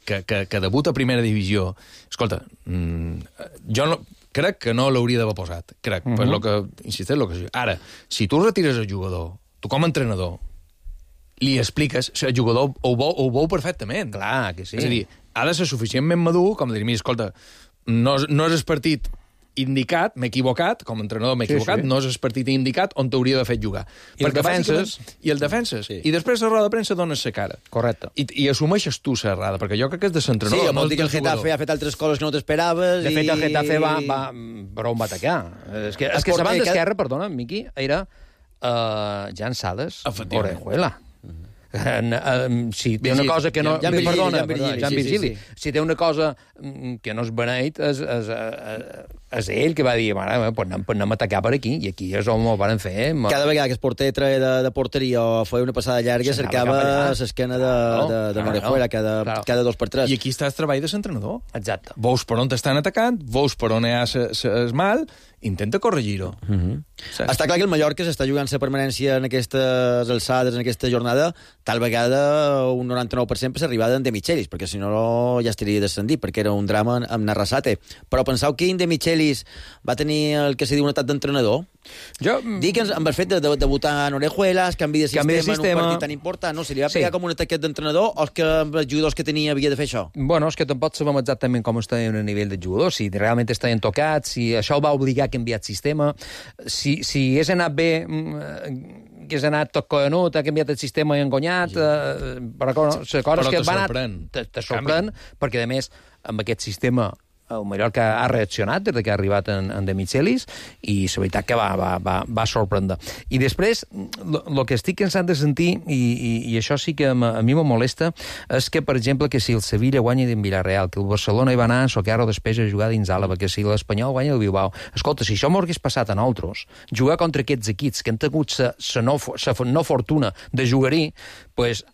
que, que, que debuta a primera divisió... Escolta, mmm, jo no, crec que no l'hauria d'haver posat. Crec, uh -huh. per lo que... Insisteix, lo que... Ara, si tu retires el jugador, tu com a entrenador, li expliques, el jugador ho veu, ho veu perfectament. Clar, que sí. És a dir, ha de ser suficientment madur com dir, mira, escolta, no, no és el partit indicat, m'he equivocat, com a entrenador m'he equivocat, sí, sí. no és el partit indicat on t'hauria de fer jugar. I el defenses. I el defenses. Sí. I després a roda de premsa dones la cara. Correcte. I, i assumeixes tu la errada, perquè jo crec que és de l'entrenador. Sí, vol dir que el Getafe ha fet altres coses que no t'esperaves. De i... fet, el Getafe va, va, però on va atacar. És que, és que la banda esquerra, perdona, Miqui, era uh, Jan Sales, Orejuela. Uh, si té una cosa que no... Jan Virgili, perdona, Jan Virgili, Jan sí, Virgili. sí, sí. Si té una cosa que no és beneit, és, és, és ell que va dir, mare, pues anem, anem a atacar per aquí, i aquí és on ho van fer. Ma... Cada vegada que es porter treia de, de porteria o feia una passada llarga, cercava l'esquena de, de, de Orejuela cada, claro. cada dos per tres. I aquí està el treball de l'entrenador. Exacte. Veus per on t'estan atacant, veus per on hi ha el mal, intenta corregir-ho. Uh -huh. Sí. Està clar que el Mallorca s'està jugant la permanència en aquestes alçades, en aquesta jornada, tal vegada un noranta-nou per cent per l'arribada en De Michelis, perquè si no ja estaria descendit, perquè era un drama amb Narrasate. Però penseu que en De Michelis va tenir el que se diu un etat d'entrenador? Jo... Dic que amb el fet de, de debutar en Orejuela, el canvi de sistema, canvi de sistema en un partit tan important, no? Se li va pegar sí. com un ataquet d'entrenador o és que amb els jugadors que tenia havia de fer això? Bueno, és que tampoc sabem exactament com està a nivell de jugadors, si realment estaven tocats, si això el va obligar a canviar el sistema, si, si hagués anat bé, que hagués anat tot coenut, ha canviat el sistema i engonyat, sí. eh, però no, la cosa és que va anar... Te, te sorprèn, perquè a més, amb aquest sistema el Mallorca ha reaccionat des que ha arribat en, en De Michelis i la veritat que va, va, va, va sorprendre. I després, el que estic cansat de sentir, i, i, i això sí que a mi me molesta, és que, per exemple, que si el Sevilla guanya d'en Villarreal, que el Barcelona hi va anar a Socarro després a jugar dins Àlava, que si l'Espanyol guanya el Bilbao. Escolta, si això m'ho hagués passat a nosaltres, jugar contra aquests equips que han tingut la no, no fortuna de jugar-hi, pues,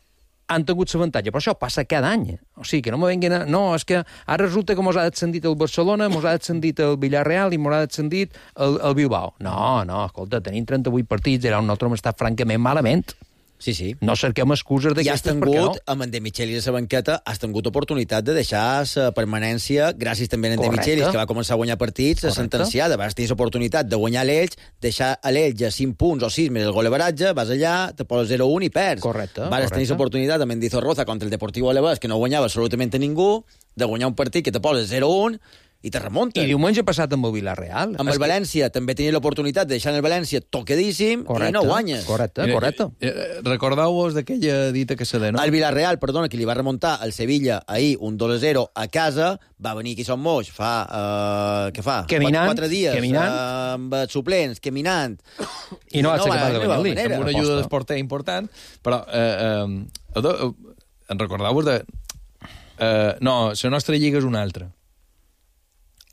han tingut l'avantatge, però això passa cada any. O sigui, que no me venguin a... No, és que ara resulta que mos ha descendit el Barcelona, mos ha descendit el Villarreal i mos ha descendit el, el Bilbao. No, no, escolta, tenim trenta-vuit partits, era un altre hem estat francament malament. Sí, sí. No cerquem excuses I has d'aquestes, perquè no. tingut, amb en De Michelis a la banqueta, has tingut oportunitat de deixar la permanència, gràcies també a en De Correcte. Michelis, que va començar a guanyar partits, Correcte. sentenciada. Vas tenir l'oportunitat de guanyar l'Elx, deixar a l'Elx a cinc punts o sis més el goleveratge, vas allà, te poses zero un i perds. Correcte. Vas tenir l'oportunitat amb Mendizorroza contra el Deportivo Alavés, que no guanyava absolutament a ningú, de guanyar un partit que te poses zero un i te remuntes. I diumenge passat amb el Villarreal. Amb el València també tenia l'oportunitat de deixar en el València tocadíssim correcte, i no guanyes. Correcte, correcte. Eh, Recordeu-vos d'aquella dita que se de, no? El Villarreal, perdona, que li va remuntar al Sevilla ahir un dos a zero a casa, va venir aquí a Son Moix fa, uh, què fa? Caminant, Quatre dies, caminant. Uh, amb suplents, caminant. I no va ser capaç de no va venir-li. manera. Amb una ajuda d'esporter important, però eh, eh, eh, en recordeu-vos de... Eh, no, la nostra lliga és una altra.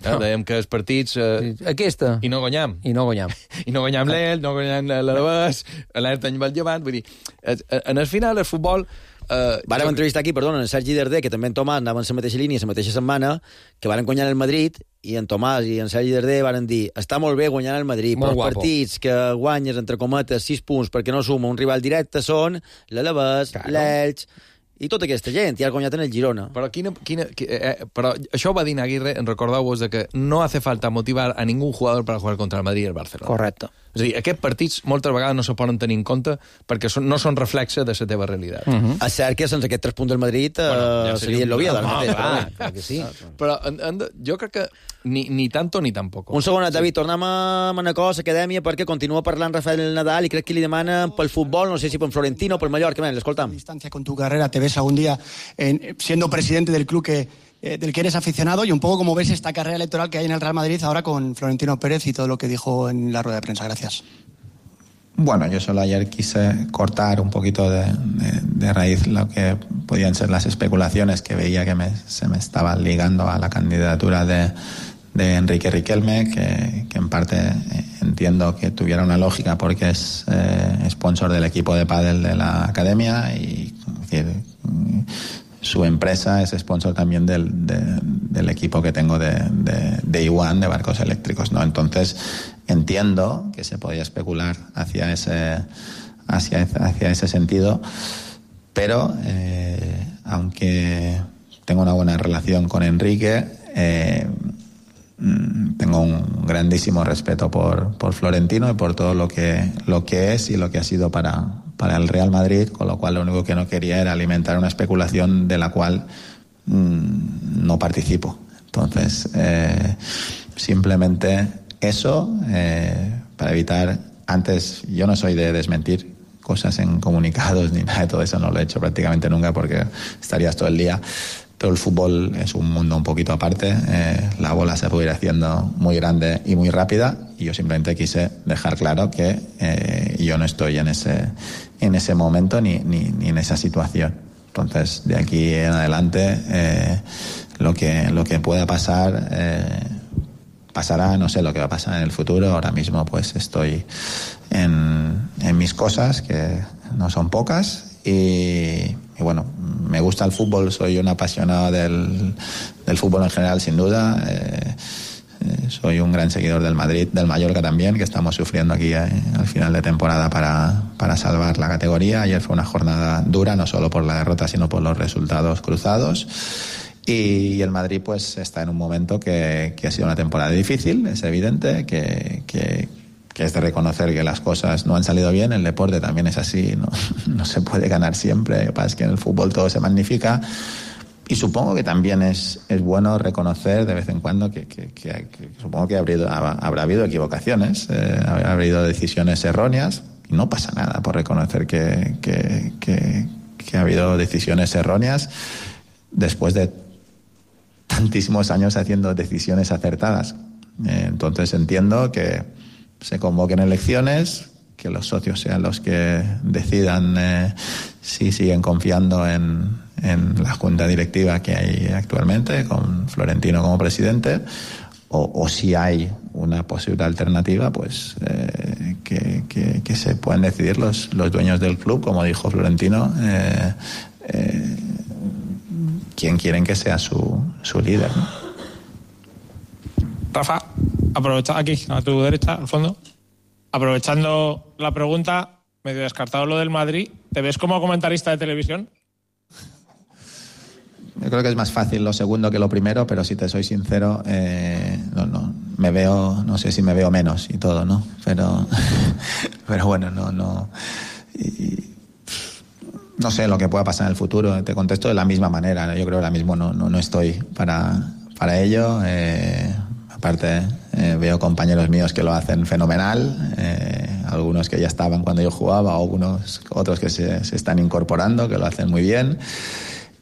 Eh, dèiem que els partits... Eh, Aquesta. I no guanyam. I no guanyam. I no guanyam l'El, no guanyam l'Alavés, l'Alerta any va llevant, vull dir, en el final el futbol... Eh, Vàrem entrevistar aquí, perdona, en Sergi Darder, que també en Tomàs anaven en la mateixa línia, la mateixa setmana, que varen guanyar el Madrid, i en Tomàs i en Sergi Darder varen dir està molt bé guanyar el Madrid, Molt però els guapo. partits que guanyes, entre cometes, sis punts perquè no suma un rival directe són l'Alavés, Claro. l'Elx, i tota aquesta gent, i has guanyat en el Girona. Però, quina, quina, eh, però això ho va dir Aguirre, en recordeu-vos de que no hace falta motivar a ningún jugador para jugar contra el Madrid i el Barcelona. Correcte. És a dir, aquests partits moltes vegades no se poden tenir en compte perquè són, no són reflexe de la teva realitat. Uh -huh. És cert que sense aquests tres punts del Madrid eh, Bueno, ja seria seria el l'Oviedo. un- ara Ah, mateix, clar, però bé. Clar que sí. Però en, en, jo crec que ni, ni tanto ni tampoco. Un segon, David, tornem a Manacor, l'acadèmia, perquè continua parlant Rafael Nadal i crec que li demanen pel futbol, no sé si pel Florentino o pel Mallorca. Ven, l'escoltam. Distancia con tu carrera, te ves algún día en- siendo presidente del club que, eh, del que eres aficionado y un poco cómo ves esta carrera electoral que hay en el Real Madrid ahora con Florentino Pérez y todo lo que dijo en la rueda de prensa. Gracias. Bueno, yo solo ayer quise cortar un poquito de, de- de raíz lo que podían ser las especulaciones que veía que me- se me estaban ligando a la candidatura de, de Enrique Riquelme, que, que en parte eh, entiendo que tuviera una lógica porque es eh, sponsor del equipo de pádel de la academia y es decir, su empresa es sponsor también del, de- del equipo que tengo de, de, de I uno, de barcos eléctricos, ¿no? Entonces entiendo que se podía especular hacia ese, hacia, hacia ese sentido, pero eh, aunque tengo una buena relación con Enrique, eh, mm, tengo un grandísimo respeto por, por Florentino y por todo lo que, lo que es y lo que ha sido para, para el Real Madrid, con lo cual lo único que no quería era alimentar una especulación de la cual mm, no participo. Entonces, eh, simplemente eso, eh, para evitar... Antes, yo no soy de desmentir cosas en comunicados ni nada de todo eso, no lo he hecho prácticamente nunca porque estarías todo el día. Pero el fútbol es un mundo un poquito aparte, eh, la bola se puede ir haciendo muy grande y muy rápida y yo simplemente quise dejar claro que eh, yo no estoy en ese, en ese momento ni, ni, ni en esa situación. Entonces, de aquí en adelante, eh, lo que, lo que pueda pasar, eh, pasará, no sé lo que va a pasar en el futuro. Ahora mismo pues estoy en, en mis cosas, que no son pocas, y, y bueno, me gusta el fútbol, soy un apasionado del, del fútbol en general, sin duda. Eh, eh, soy un gran seguidor del Madrid, del Mallorca también, que estamos sufriendo aquí eh, al final de temporada para, para salvar la categoría. Ayer fue una jornada dura, no solo por la derrota, sino por los resultados cruzados. Y el Madrid pues está en un momento que, que ha sido una temporada difícil, es evidente, que, que, que es de reconocer que las cosas no han salido bien. El deporte también es así, no, no se puede ganar siempre. Lo que pasa es que en el fútbol todo se magnifica. Y supongo que también es, es bueno reconocer de vez en cuando que, que, que, que supongo que habrá, habrá habido equivocaciones, eh, habrá habido decisiones erróneas, y no pasa nada por reconocer que, que, que, que ha habido decisiones erróneas después de tantísimos años haciendo decisiones acertadas. Eh, entonces entiendo que se convoquen elecciones, que los socios sean los que decidan eh, si siguen confiando en, en la junta directiva que hay actualmente, con Florentino como presidente, o, o si hay una posible alternativa, pues eh, que, que, que se puedan decidir los, los dueños del club, como dijo Florentino, eh, eh, quién quieren que sea su, su líder, ¿no? Rafa, aprovecha aquí, a tu derecha, al fondo. Aprovechando la pregunta, medio descartado lo del Madrid, ¿te ves como comentarista de televisión? Yo creo que es más fácil lo segundo que lo primero, pero si te soy sincero, eh, no, no, me veo, no sé si me veo menos y todo, ¿no? Pero, pero bueno, no, no, y, no sé lo que pueda pasar en el futuro. Te contesto de la misma manera. Yo creo que ahora mismo no, no, no estoy para, para ello. Eh, aparte, eh, veo compañeros míos que lo hacen fenomenal. Eh, algunos que ya estaban cuando yo jugaba, o algunos, otros que se, se están incorporando, que lo hacen muy bien.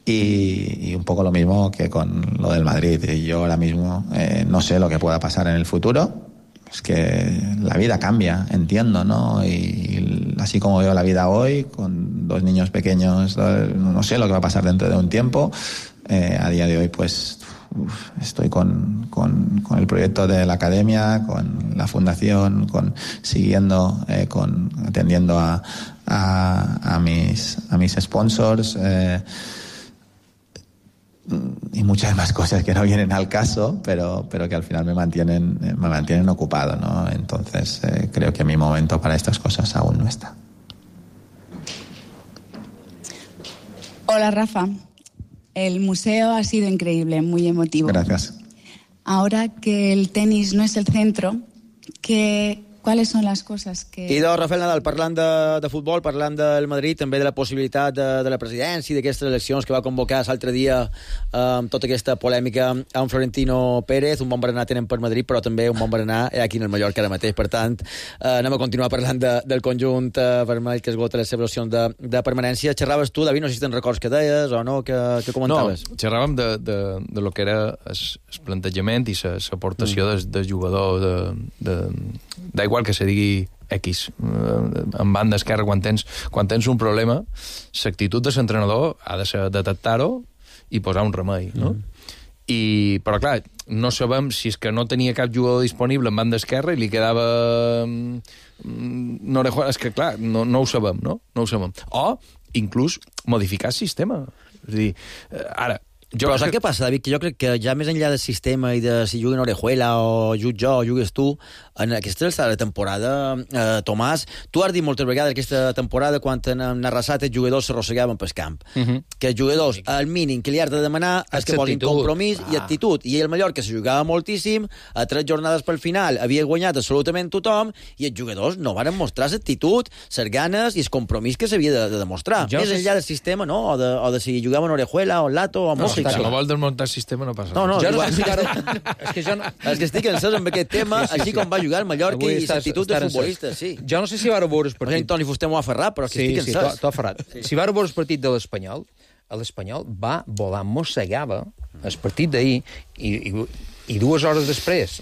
Y, y un poco lo mismo que con lo del Madrid. Yo ahora mismo eh, no sé lo que pueda pasar en el futuro. Es que la vida cambia, entiendo, ¿no? Y, y así como veo la vida hoy, con dos niños pequeños, no sé lo que va a pasar dentro de un tiempo. Eh, a día de hoy, pues, uf, estoy con, con, con el proyecto de la academia, con la fundación, con siguiendo, eh, con atendiendo a, a, a mis a mis sponsors. Eh, y muchas más cosas que no vienen al caso, pero, pero que al final me mantienen, me mantienen ocupado, ¿no? Entonces, eh, creo que mi momento para estas cosas aún no está. Hola, Rafa. El museo ha sido increíble, muy emotivo. Gracias. Ahora que el tenis no es el centro, ¿qué, ¿cuáles son las cosas que...? I de Rafael Nadal, parlant de, de futbol, parlant del Madrid, també de la possibilitat de, de la presidència i d'aquestes eleccions que va convocar l'altre dia eh, amb tota aquesta polèmica amb Florentino Pérez. Un bon berenar tenen per Madrid, però també un bon berenar aquí en el Mallorca ara mateix. Per tant, eh, anem a continuar parlant de, del conjunt eh, vermell que esgota les seves opcions de, de permanència. Xerraves tu, David, no sé si te'n records que deies o no, que, que comentaves. No, xerràvem de, de, de lo que era el plantejament i l'aportació mm. del, del jugador de, de, da igual que se digui X, en banda esquerra, quan tens, quan tens un problema, l'actitud de l'entrenador ha de ser detectar-ho i posar un remei, no? Mm. I, però clar, no sabem si és que no tenia cap jugador disponible en banda esquerra i li quedava no, és que clar, no, no ho sabem, no? No ho sabem. O, inclús, modificar el sistema. És a dir, ara, jo però saps que... què passa, David? Que jo crec que ja més enllà del sistema i de si juguen Orejuela o jugo jo o jugues tu, en aquesta alçada de temporada, eh, Tomàs, tu has dit moltes vegades aquesta temporada quan en Arrasat els jugadors s'arrossegaven pel camp. Uh -huh. Que els jugadors, el mínim que li has de demanar és que posin compromís ah. i actitud. I el Mallorca se jugava moltíssim, a tres jornades pel final havia guanyat absolutament tothom i els jugadors no van mostrar l'actitud, les ganes i el compromís que s'havia de, de demostrar. Jo més enllà del sistema, no? O de, o de si jugaven Orejuela o Lato o Mossi. Si no vol desmuntar el sistema no passa no, no, res. No, no, és que jo no... És que estic encès amb aquest tema, sí, sí, així sí. com va jugar el Mallorca i l'actitud de futbolista, sí. Jo no sé si vareu veure el partit... Perquè Toni Fuster m'ho ha aferrat, però que sí, estic encès. Sí, t'ho ha aferrat. Sí. Si vareu veure el partit de l'Espanyol, l'Espanyol va volar, mossegava el partit d'ahir i, i, i dues hores després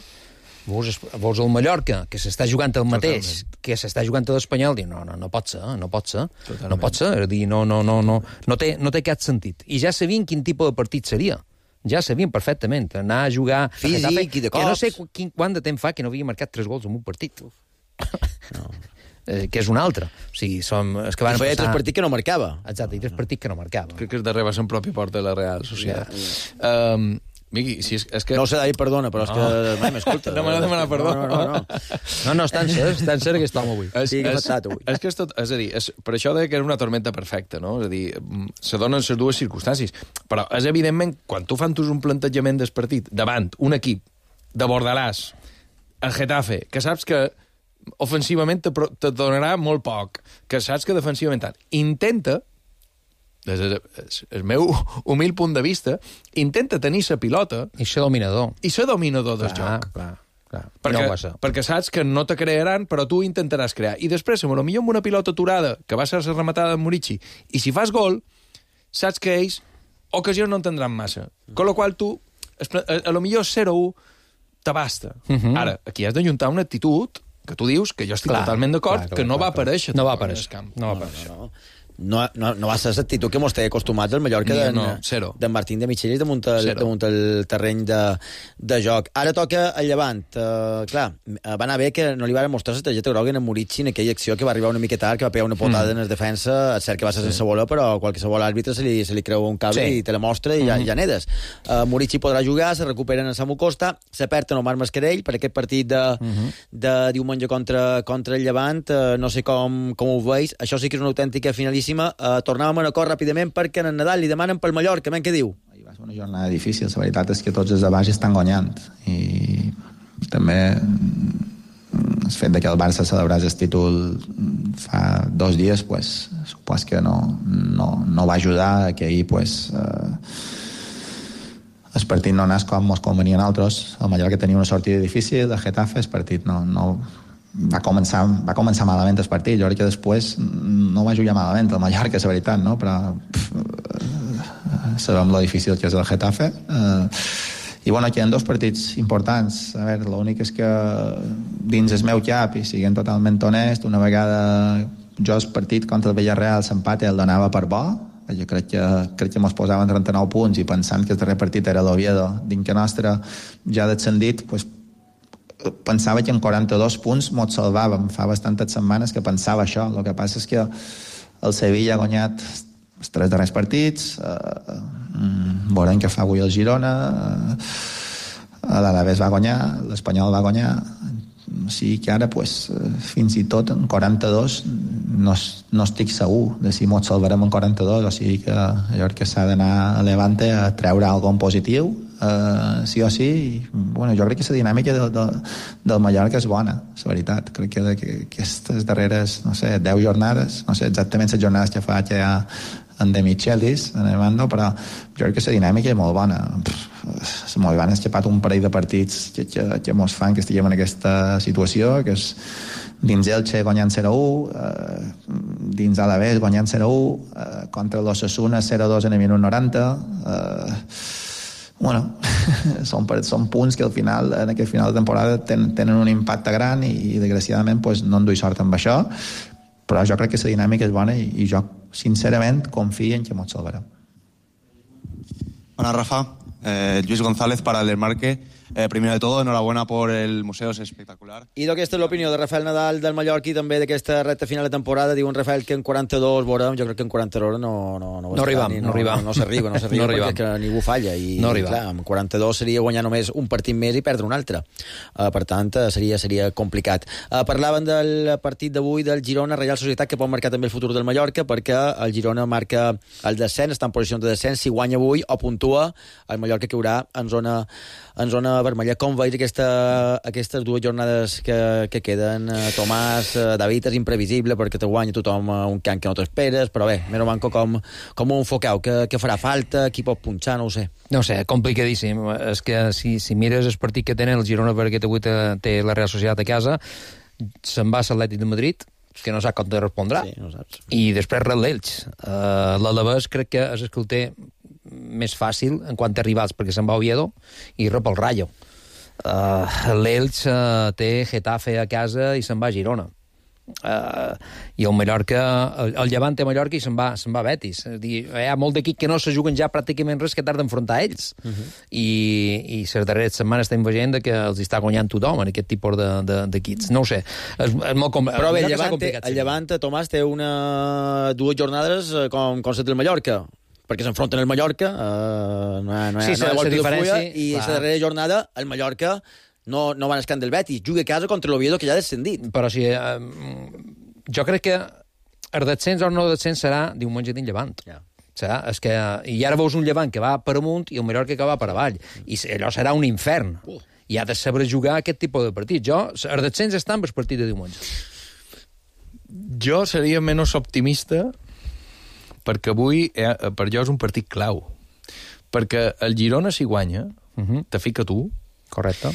veus, veus el Mallorca, que s'està jugant el mateix, totalment. Que s'està jugant l'Espanyol, diu, no, no, no pot ser, no pot ser, totalment. No pot ser, és dir, no, no, no, no, no, té, no té cap sentit. I ja sabien quin tipus de partit seria. Ja sabien perfectament, anar a jugar... Físic i de cops. Que no sé quin, quant de temps fa que no havia marcat tres gols en un partit. No. eh, que és un altre. O sigui, som... És que van I feia passar... tres partits que no marcava. Exacte, i tres partits que no marcava. Crec que és darrere va ser en propi porta de la Real Societat. Ja, ja. Um, Miqui, si és, és que... No ho sé, David, perdona, però és no. que mai m'escolta. No m'ha de demanar perdó. No, no, no. No, no, està en ser, està en ser aquest home avui. És, sí, que és, és, avui. és que és tot... És a dir, és, per això deia que era una tormenta perfecta, no? És a dir, se donen les dues circumstàncies. Però és evidentment, quan tu fan un plantejament del partit davant un equip de Bordalàs, el Getafe, que saps que ofensivament te, te donarà molt poc, que saps que defensivament tant, intenta, des del el meu humil punt de vista, intenta tenir la pilota... I ser dominador. I ser dominador del clar, joc. Clar, clar. Perquè, no perquè saps que no te crearan, però tu intentaràs crear. I després, a lo millor amb una pilota aturada, que va ser la rematada de Murici, i si fas gol, saps que ells ocasions no en tindran massa. Con lo qual tu, a lo millor zero a u t'abasta. Uh -huh. Ara, aquí has d'ajuntar una actitud que tu dius, que jo estic clar, totalment d'acord, que no, no va aparèixer. No va aparèixer. Camp. No va aparèixer. No, no, no. no, no, no va ser l'actitud que mos té acostumats al Mallorca Ni, d'en no, zero. d'en Martín de Michelis damunt el, Zero. damunt el terreny de, de joc. Ara toca el Llevant. Uh, clar, va anar bé que no li van mostrar la targeta groga en Murici en aquella acció que va arribar una miqueta tard, que va pegar una potada mm. en el defensa. És cert que va ser sense bola, però qualsevol àrbitre se li, se li creu un cable sí. i te la mostra i ja, mm. ja nedes. Uh, Murici podrà jugar, se recuperen a Samu Costa, se perd en Omar Mascarell per aquest partit de, mm-hmm. de diumenge contra, contra el Llevant. Uh, no sé com, com ho veus. Això sí que és una autèntica finalíssima. Uh, tornàvem a Manacor ràpidament perquè en el Nadal li demanen pel Mallorca. Men, què diu? Va ser una jornada difícil. La veritat és que tots els de baix estan guanyant. I també el fet de que el Barça celebrés el títol fa dos dies, pues, supos que no, no, no va ajudar a que ahir pues, eh, el partit no anés com ens convenia a nosaltres. El Mallorca tenia una sortida difícil, de Getafe, el partit no, no, va, començar, va començar malament el partit. Jo crec que després no va jugar malament el Mallorca, és la veritat, no? Però pff, sabem lo difícil que és el Getafe. Eh, I bueno, aquí hi ha dos partits importants. A veure, l'únic és que dins el meu cap, i siguent totalment honest, una vegada jo el partit contra el Villarreal s'empate el donava per bo. Jo crec que, crec que mos posaven trenta-nou punts i pensant que el darrer partit era l'Oviedo dins que nostre ja descendit, pues, pensava que en quaranta-dos punts mos salvàvem. Fa bastantes setmanes que pensava això. El que passa és que el Sevilla ha guanyat els tres darrers partits, eh, veurem què fa avui el Girona, eh, l'Alavés va guanyar, l'Espanyol va guanyar, o sigui que ara pues, fins i tot en quaranta-dos no, no estic segur de si mos salvarem en quaranta-dos, o sigui que allò que s'ha d'anar a Levante a treure alguna cosa positiu, eh, sí o sí. I, bueno, jo crec que la dinàmica de, de, del Mallorca és bona, és veritat. Crec que, de, que aquestes darreres, no sé, deu jornades, no sé exactament les jornades que fa que hi ha en De Michelis, en el mando, però jo crec que la dinàmica és molt bona. És molt bona, és xapat un parell de partits que, que, que mos fan que estiguem en aquesta situació, que és dins Elche guanyant zero a u, eh, dins Alavés guanyant zero a u, eh, contra l'Osasuna zero a dos en el minut noranta. Eh, bueno, són, són punts que al final, en aquest final de temporada ten, tenen un impacte gran i, i desgraciadament pues, no en duia sort amb això, però jo crec que la dinàmica és bona i, i jo sincerament confío en que mos salvarem. Hola Rafa, eh, Luis González para el Desmarque. Eh, primero de todo, enhorabuena por el museo, es espectacular. I d'aquesta és l'opinió de Rafael Nadal del Mallorca i també d'aquesta recta final de temporada. Diu en Rafael que en quaranta-dos veurem, jo crec que en quaranta-dos no, no, no, no arribam, no, no arribam. No, no s'arriba, no s'arriba no perquè que ningú falla. I, no clar, en quaranta-dos seria guanyar només un partit més i perdre un altre. Uh, per tant, seria, seria complicat. Uh, parlaven del partit d'avui del Girona, Reial Societat, que pot marcar també el futur del Mallorca, perquè el Girona marca el descens, està en posició de descens, si guanya avui o puntua, el Mallorca caurà en zona, en zona vermella. Com veus aquesta, aquestes dues jornades que, que queden? Uh, Tomàs, uh, David, és imprevisible perquè te guanya tothom uh, un camp que no t'esperes, però bé, meno manco com, com un focau, que, que farà falta, qui pot punxar, no ho sé. No ho sé, complicadíssim. És que si, si mires el partit que tenen el Girona, perquè avui té, té la Real Societat a casa, se'n va a l'Atlètic de Madrid, que no sap com te respondrà, sí, no saps. I després rep l'Elx. Uh, L'Alavés crec que és el que el té més fàcil en quant a rivals, perquè se'n va a Oviedo i rep el Rayo. Uh, L'Elx uh, té Getafe a casa i se'n va a Girona. Uh, i el Mallorca, el, el Llevant té Mallorca i se'n va, se'n va a Betis. És dir, hi ha molt d'equips que no se juguen ja pràcticament res que tard d'enfrontar ells. Uh -huh. I, i les darreres setmanes estem veient que els està guanyant tothom en aquest tipus d'equips. De, de, no ho sé, és, és molt complicat. Però bé, el Llevant, té, el Llevant, Tomàs, té una, dues jornades com, com set del Mallorca, perquè s'enfronten el Mallorca, eh, no hi ha, no hi ha, sí, no hi ha volta de fulla, i clar. la darrera jornada el Mallorca no, no van escant del Betis, juga a casa contra l'Oviedo, que ja ha descendit. Però sí, eh, jo crec que el descens o no descens serà diumenge dins Llevant. Ja. Serà, és que, i ara veus un Llevant que va per amunt i un Mallorca que va per avall, i allò serà un infern. Uh. I ha de saber jugar aquest tipus de partit. Jo, el descens està amb el partit de diumenge. Jo seria menys optimista perquè avui, eh, per jo, és un partit clau. Perquè el Girona, si guanya, uh -huh. te fica tu. Correcte.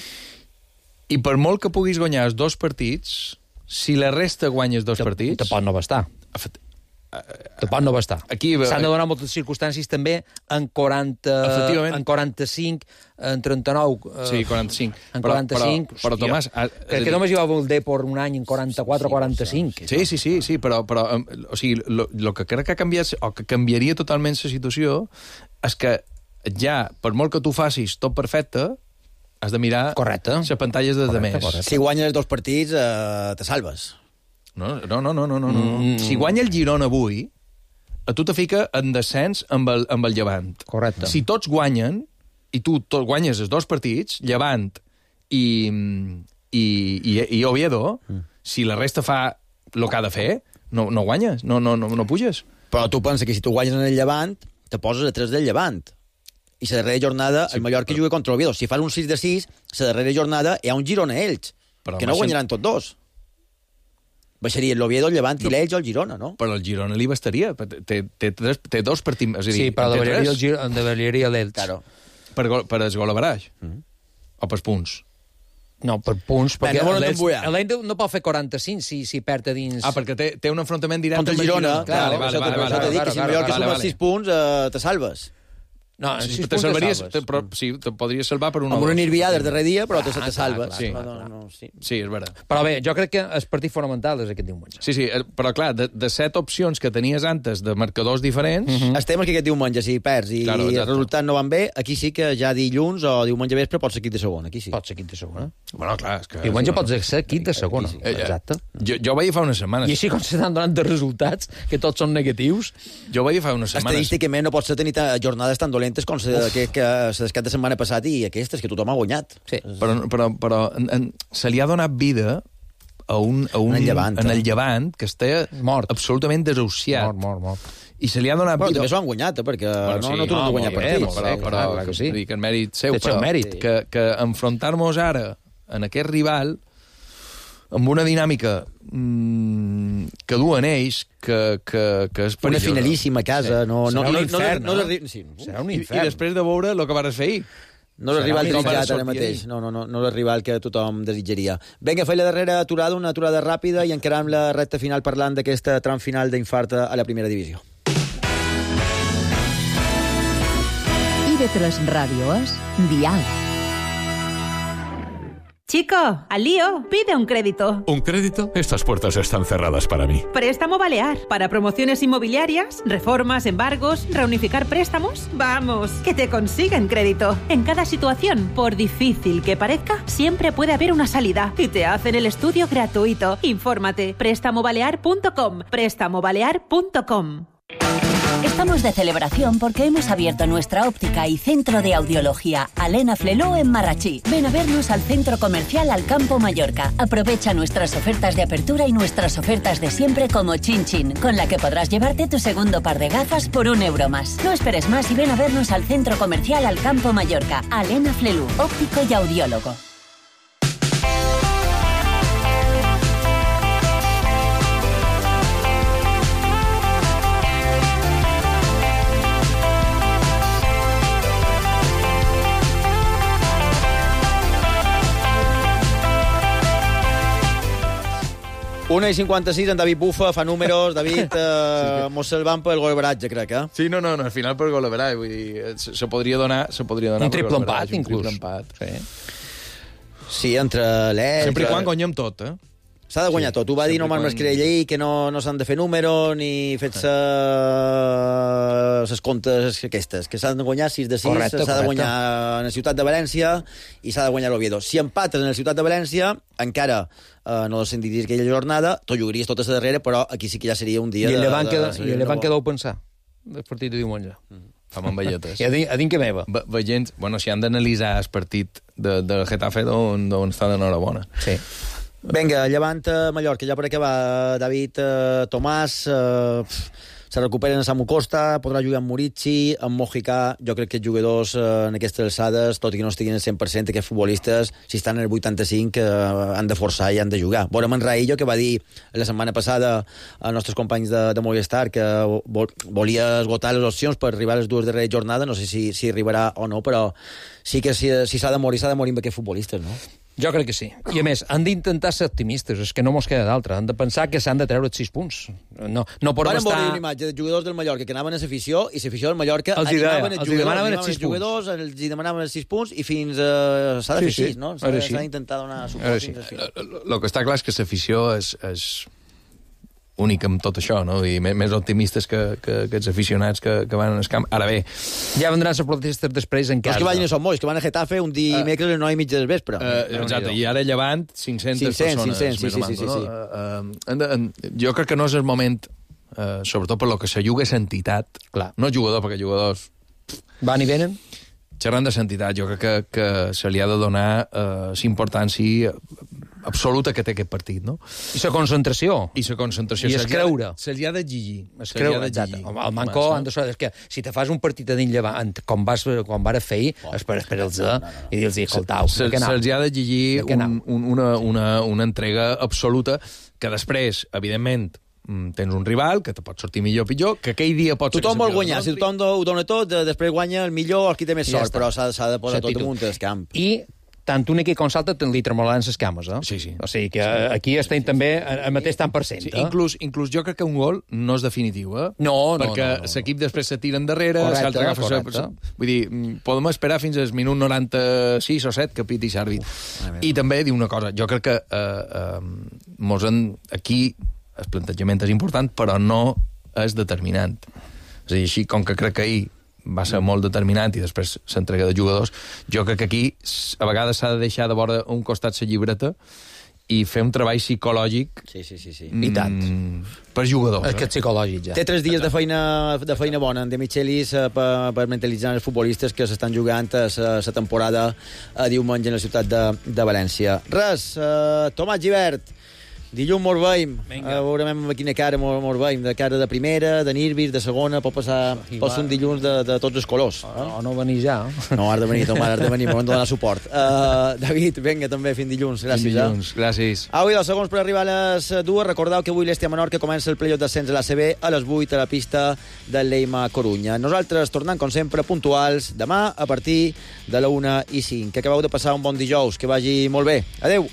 I per molt que puguis guanyar els dos partits, si la resta guanyes dos te, partits... Te pot no bastar. Te pot no bastar. Aquí... S'han de donar moltes circumstàncies també en quaranta... En quaranta-cinc, en trenta-nou... Sí, quaranta-cinc. En quaranta-cinc... Però, però, però Tomàs... Crec que només hi va haver el Depor un any en quaranta-quatre o quaranta-cinc. Sí, sí, sí, sí, però, però o sigui, lo, lo que crec que ha canviat, o que canviaria totalment la situació, és que ja, per molt que tu facis tot perfecte, has de mirar les pantalles de demés. Si guanyes els dos partits, eh, te salves. No, no, no, no, no, no. Mm. Si guanya el Girona avui, a tu te fica en descens amb el, amb el Llevant. Correcte. Si tots guanyen, i tu tot guanyes els dos partits, Llevant i, i, i, i Oviedo, mm. si la resta fa el que ha de fer, no, no guanyes, no, no, no, no puges. Però tu pensa que si tu guanyes en el Llevant, te poses a tres del Llevant. I la darrera jornada sí, el Mallorca però... juga contra l'Oviedo. Si fan un sis de sis, la darrera jornada hi ha un Girona-Elx, que no guanyaran tots dos. Baixarien l'Oviedo, el Llevant i no. l'Elx o el Girona, no? Però el Girona li bastaria. Té, té, té, té dos partits... És a dir, sí, però davaliaria l'Elx. Claro. Per, per el gol a baraix. Mm. O per punts. No, per punts, perquè no l'Elx no pot fer quaranta-cinc si, si perd a dins... Ah, perquè té, té un enfrontament directe contra el Girona. Clar, vale, vale, vale, vale, vale, que si el Mallorca suma sis punts, eh, te salves. No, sí, te salvaries, te, però, sí, te podries salvar per un... Amb una nirviada del darrer dia, però te, ah, te salves. Sí. No, no, no, sí. sí, és veritat. Però bé, jo crec que el partit fonamental és aquest diumenge. Sí, sí, però clar, de, de set opcions que tenies antes de marcadors diferents... Mm -hmm. El tema és que aquest diumenge, si perds i claro, els resultats no van bé, aquí sí que ja dilluns o diumenge vespre pots ser equip de segona, aquí sí. Pots ser equip de segona. Bueno, clar, és que... Diumenge pots ser equip de segona. Sí. Exacte. Jo, jo ho vaig dir fa unes setmanes. I així com s'estan donant de resultats, que tots són negatius... Jo ho vaig dir fa unes setmanes. Estadísticament no pots tenir jornades tan dolentes com se, que, que les cap de setmana passat i aquestes, que tothom ha guanyat. Sí. Però, però, però en, en, se li ha donat vida a un, a un, en el Llevant, en el eh? Llevant que està mort. Absolutament desahuciat. Mort, mort, mort. I se li ha donat bueno, vida... També s'ho han guanyat, eh, perquè bueno, no, sí, no tornen no, a guanyar partits. Bé, però, però, però clar, que sí. Dic, en mèrit seu, però mèrit. Que, que enfrontar-nos ara en aquest rival amb una dinàmica mmm, que duen ells, que, que, que és perillosa. Una finalíssima a casa. Sí. No, serà no, un no, infern, no, no? no, no, sí. Serà un I, infern. I després de veure el que vas fer ahir. No és rival desitjat ara mateix. No, no, no, no és rival que tothom desitjaria. Vinga, feia la darrera aturada, una aturada ràpida, i encarem la recta final parlant d'aquesta tram final d'infart a la primera divisió. I ve tres Radio es Dial. Chico, al lío, pide un crédito. ¿Un crédito? Estas puertas están cerradas para mí. Préstamo Balear. Para promociones inmobiliarias, reformas, embargos, reunificar préstamos. Vamos, que te consiguen crédito. En cada situación, por difícil que parezca, siempre puede haber una salida. Y te hacen el estudio gratuito. Infórmate. préstamo balear punto com. préstamo balear punto com. Estamos de celebración porque hemos abierto nuestra óptica y centro de audiología Alena Fleló en Marrachí. Ven a vernos al centro comercial Alcampo Mallorca. Aprovecha nuestras ofertas de apertura y nuestras ofertas de siempre como Chin Chin, con la que podrás llevarte tu segundo par de gafas por un euro más. No esperes más y ven a vernos al centro comercial Alcampo Mallorca. Alena Flelú, óptico y audiólogo. una i cinquanta-sis, en David Bufa fa números. David, eh, mos salvam pel gol baratge, crec, eh? Sí, no, no, no al final per gol baratge, vull dir, se, se podria donar, se podria donar un triple empat, inclús. Un triple empat, sí. Sí, entre l'Elx... Sempre i quan guanyem tot, eh? S'ha de guanyar sí, tot. Ho va dir Norman quan... Mascarell, que no, no s'han de fer números ni fer-se les comptes aquestes, que s'han de guanyar sis de sis, s'ha de guanyar en la ciutat de València i s'ha de guanyar l'Oviedo. Si empates en la ciutat de València, encara eh, no sentiries aquella jornada, t'ho jugaries tota la darrera, però aquí sí que ja seria un dia... I el Llevant que deu pensar del partit de diumenge. Mm. Fam amb velletes. I a dins, a dins que meva. Ve, veient, bueno, si han d'analitzar el partit de, del Getafe, d'on està d'enhorabona. Sí. Vinga, Llevant a Mallorca, ja per acabar, David, eh, Tomàs, eh, se recuperen a Samu Costa, podrà jugar amb Murici, amb Mojicà. Jo crec que els jugadors eh, en aquestes alçades, tot i que no estiguin al cent per cent, aquests futbolistes, si estan en el vuitanta-cinc, eh, han de forçar i han de jugar. Veurem en Raillo, que va dir la setmana passada als nostres companys de, de Movistar que vol, volia esgotar les opcions per arribar a les dues darreres jornades, no sé si, si arribarà o no, però sí que si, si s'ha de morir, s'ha de morir amb aquests futbolistes, no? Jo crec que sí. I a més, han d'intentar ser optimistes, és que no mos queda d'altra. Han de pensar que s'han de treure els sis punts. No, no podem estar... estar... una imatge de jugadors del Mallorca que anaven a l'afició i l'afició del Mallorca els animaven els els jugadors, demanaven els els sis jugadors, els demanaven els sis punts i fins a... s'ha de fer Sí, sí. sis, no? S'ha Ara sí. d'intentar donar suport Sí. fins al final. El que està clar és que l'afició és, és únic amb tot això, no? I més, més optimistes que, que, que els aficionats que, que van al camp. Ara bé... Ja vendran les protestes després en Però casa. és que vagin a Son Moix, que van a Getafe un dimecres a les nou i mitja del vespre. Uh, exacte, i ara llevant cinc-centes cinc-cents, persones. cinc-cents, sí, més sí, o menys, sí, no? sí. Uh, uh, uh, jo crec que no és el moment, uh, sobretot per lo que se juga és entitat. Clar. No jugador, perquè jugadors... Van i venen? Xerrant de l'entitat, jo crec que, que se li ha de donar uh, l'importància absoluta que té aquest partit, no? I la concentració. I la concentració. I es creure. Se li ha d'exigir. Es creure, exacte. El Manco, han de ser, és que si te fas un partit a dins llevant, com, vas, com vas fer ahir, oh. espera, espera els no, no, no. i dir-los, escoltau, se, de què Se'ls ha d'exigir de un, un, una, una, una entrega absoluta que després, evidentment, tens un rival que te pot sortir millor o pitjor, que aquell dia pot tothom ser... vol guanyar, si tothom ho dona tot, després guanya el millor, el qui té més sort, però s'ha de posar tot damunt del camp. I tant un equip com l'altre li tremolaran les cames, eh? Sí, sí. O sigui que aquí estem també al mateix tant per cent. Sí, eh? inclús, inclús jo crec que un gol no és definitiu, eh? No, no, perquè no, no. l'equip després se tira endarrere, Correcte, l'altre agafa... correcte. Sa... Vull dir, podem esperar fins al minut noranta-sis o set que piti l'àrbit. I també dir una cosa, jo crec que eh, eh, mos en... aquí el plantejament és important, però no és determinant. És a dir, així com que crec que ahir va ser molt determinant i després s'entrega de jugadors, jo crec que aquí a vegades s'ha de deixar de vora un costat la llibreta i fer un treball psicològic sí, sí, sí, sí. Mm, I tant. per jugadors. És que és psicològic, ja. Té tres dies de feina, de feina bona en De Michelis eh, per, per mentalitzar els futbolistes que s'estan jugant la temporada a diumenge en la ciutat de, de València. Res, eh, Tomàs Gibert, dilluns mos veiem, uh, veurem amb quina cara mos, mos veiem, de cara de primera, de nervis, de segona, pot passar, pot ser un dilluns de, de tots els colors. O no, no venir ja. No, has de venir, Tomàs, has de venir, m'ho hem de donar suport. Uh, David, vinga, també, fins dilluns, gràcies. Fins dilluns, eh? Gràcies. Avui dos segons per arribar a les dues. Recordeu que avui l'Estia Menorca comença el playoff d'ascens a l'A C B a les vuit a la pista del Leima Corunya. Nosaltres, tornant, com sempre, puntuals, demà a partir de la una i cinc. Que acabeu de passar un bon dijous, que vagi molt bé. Adeu.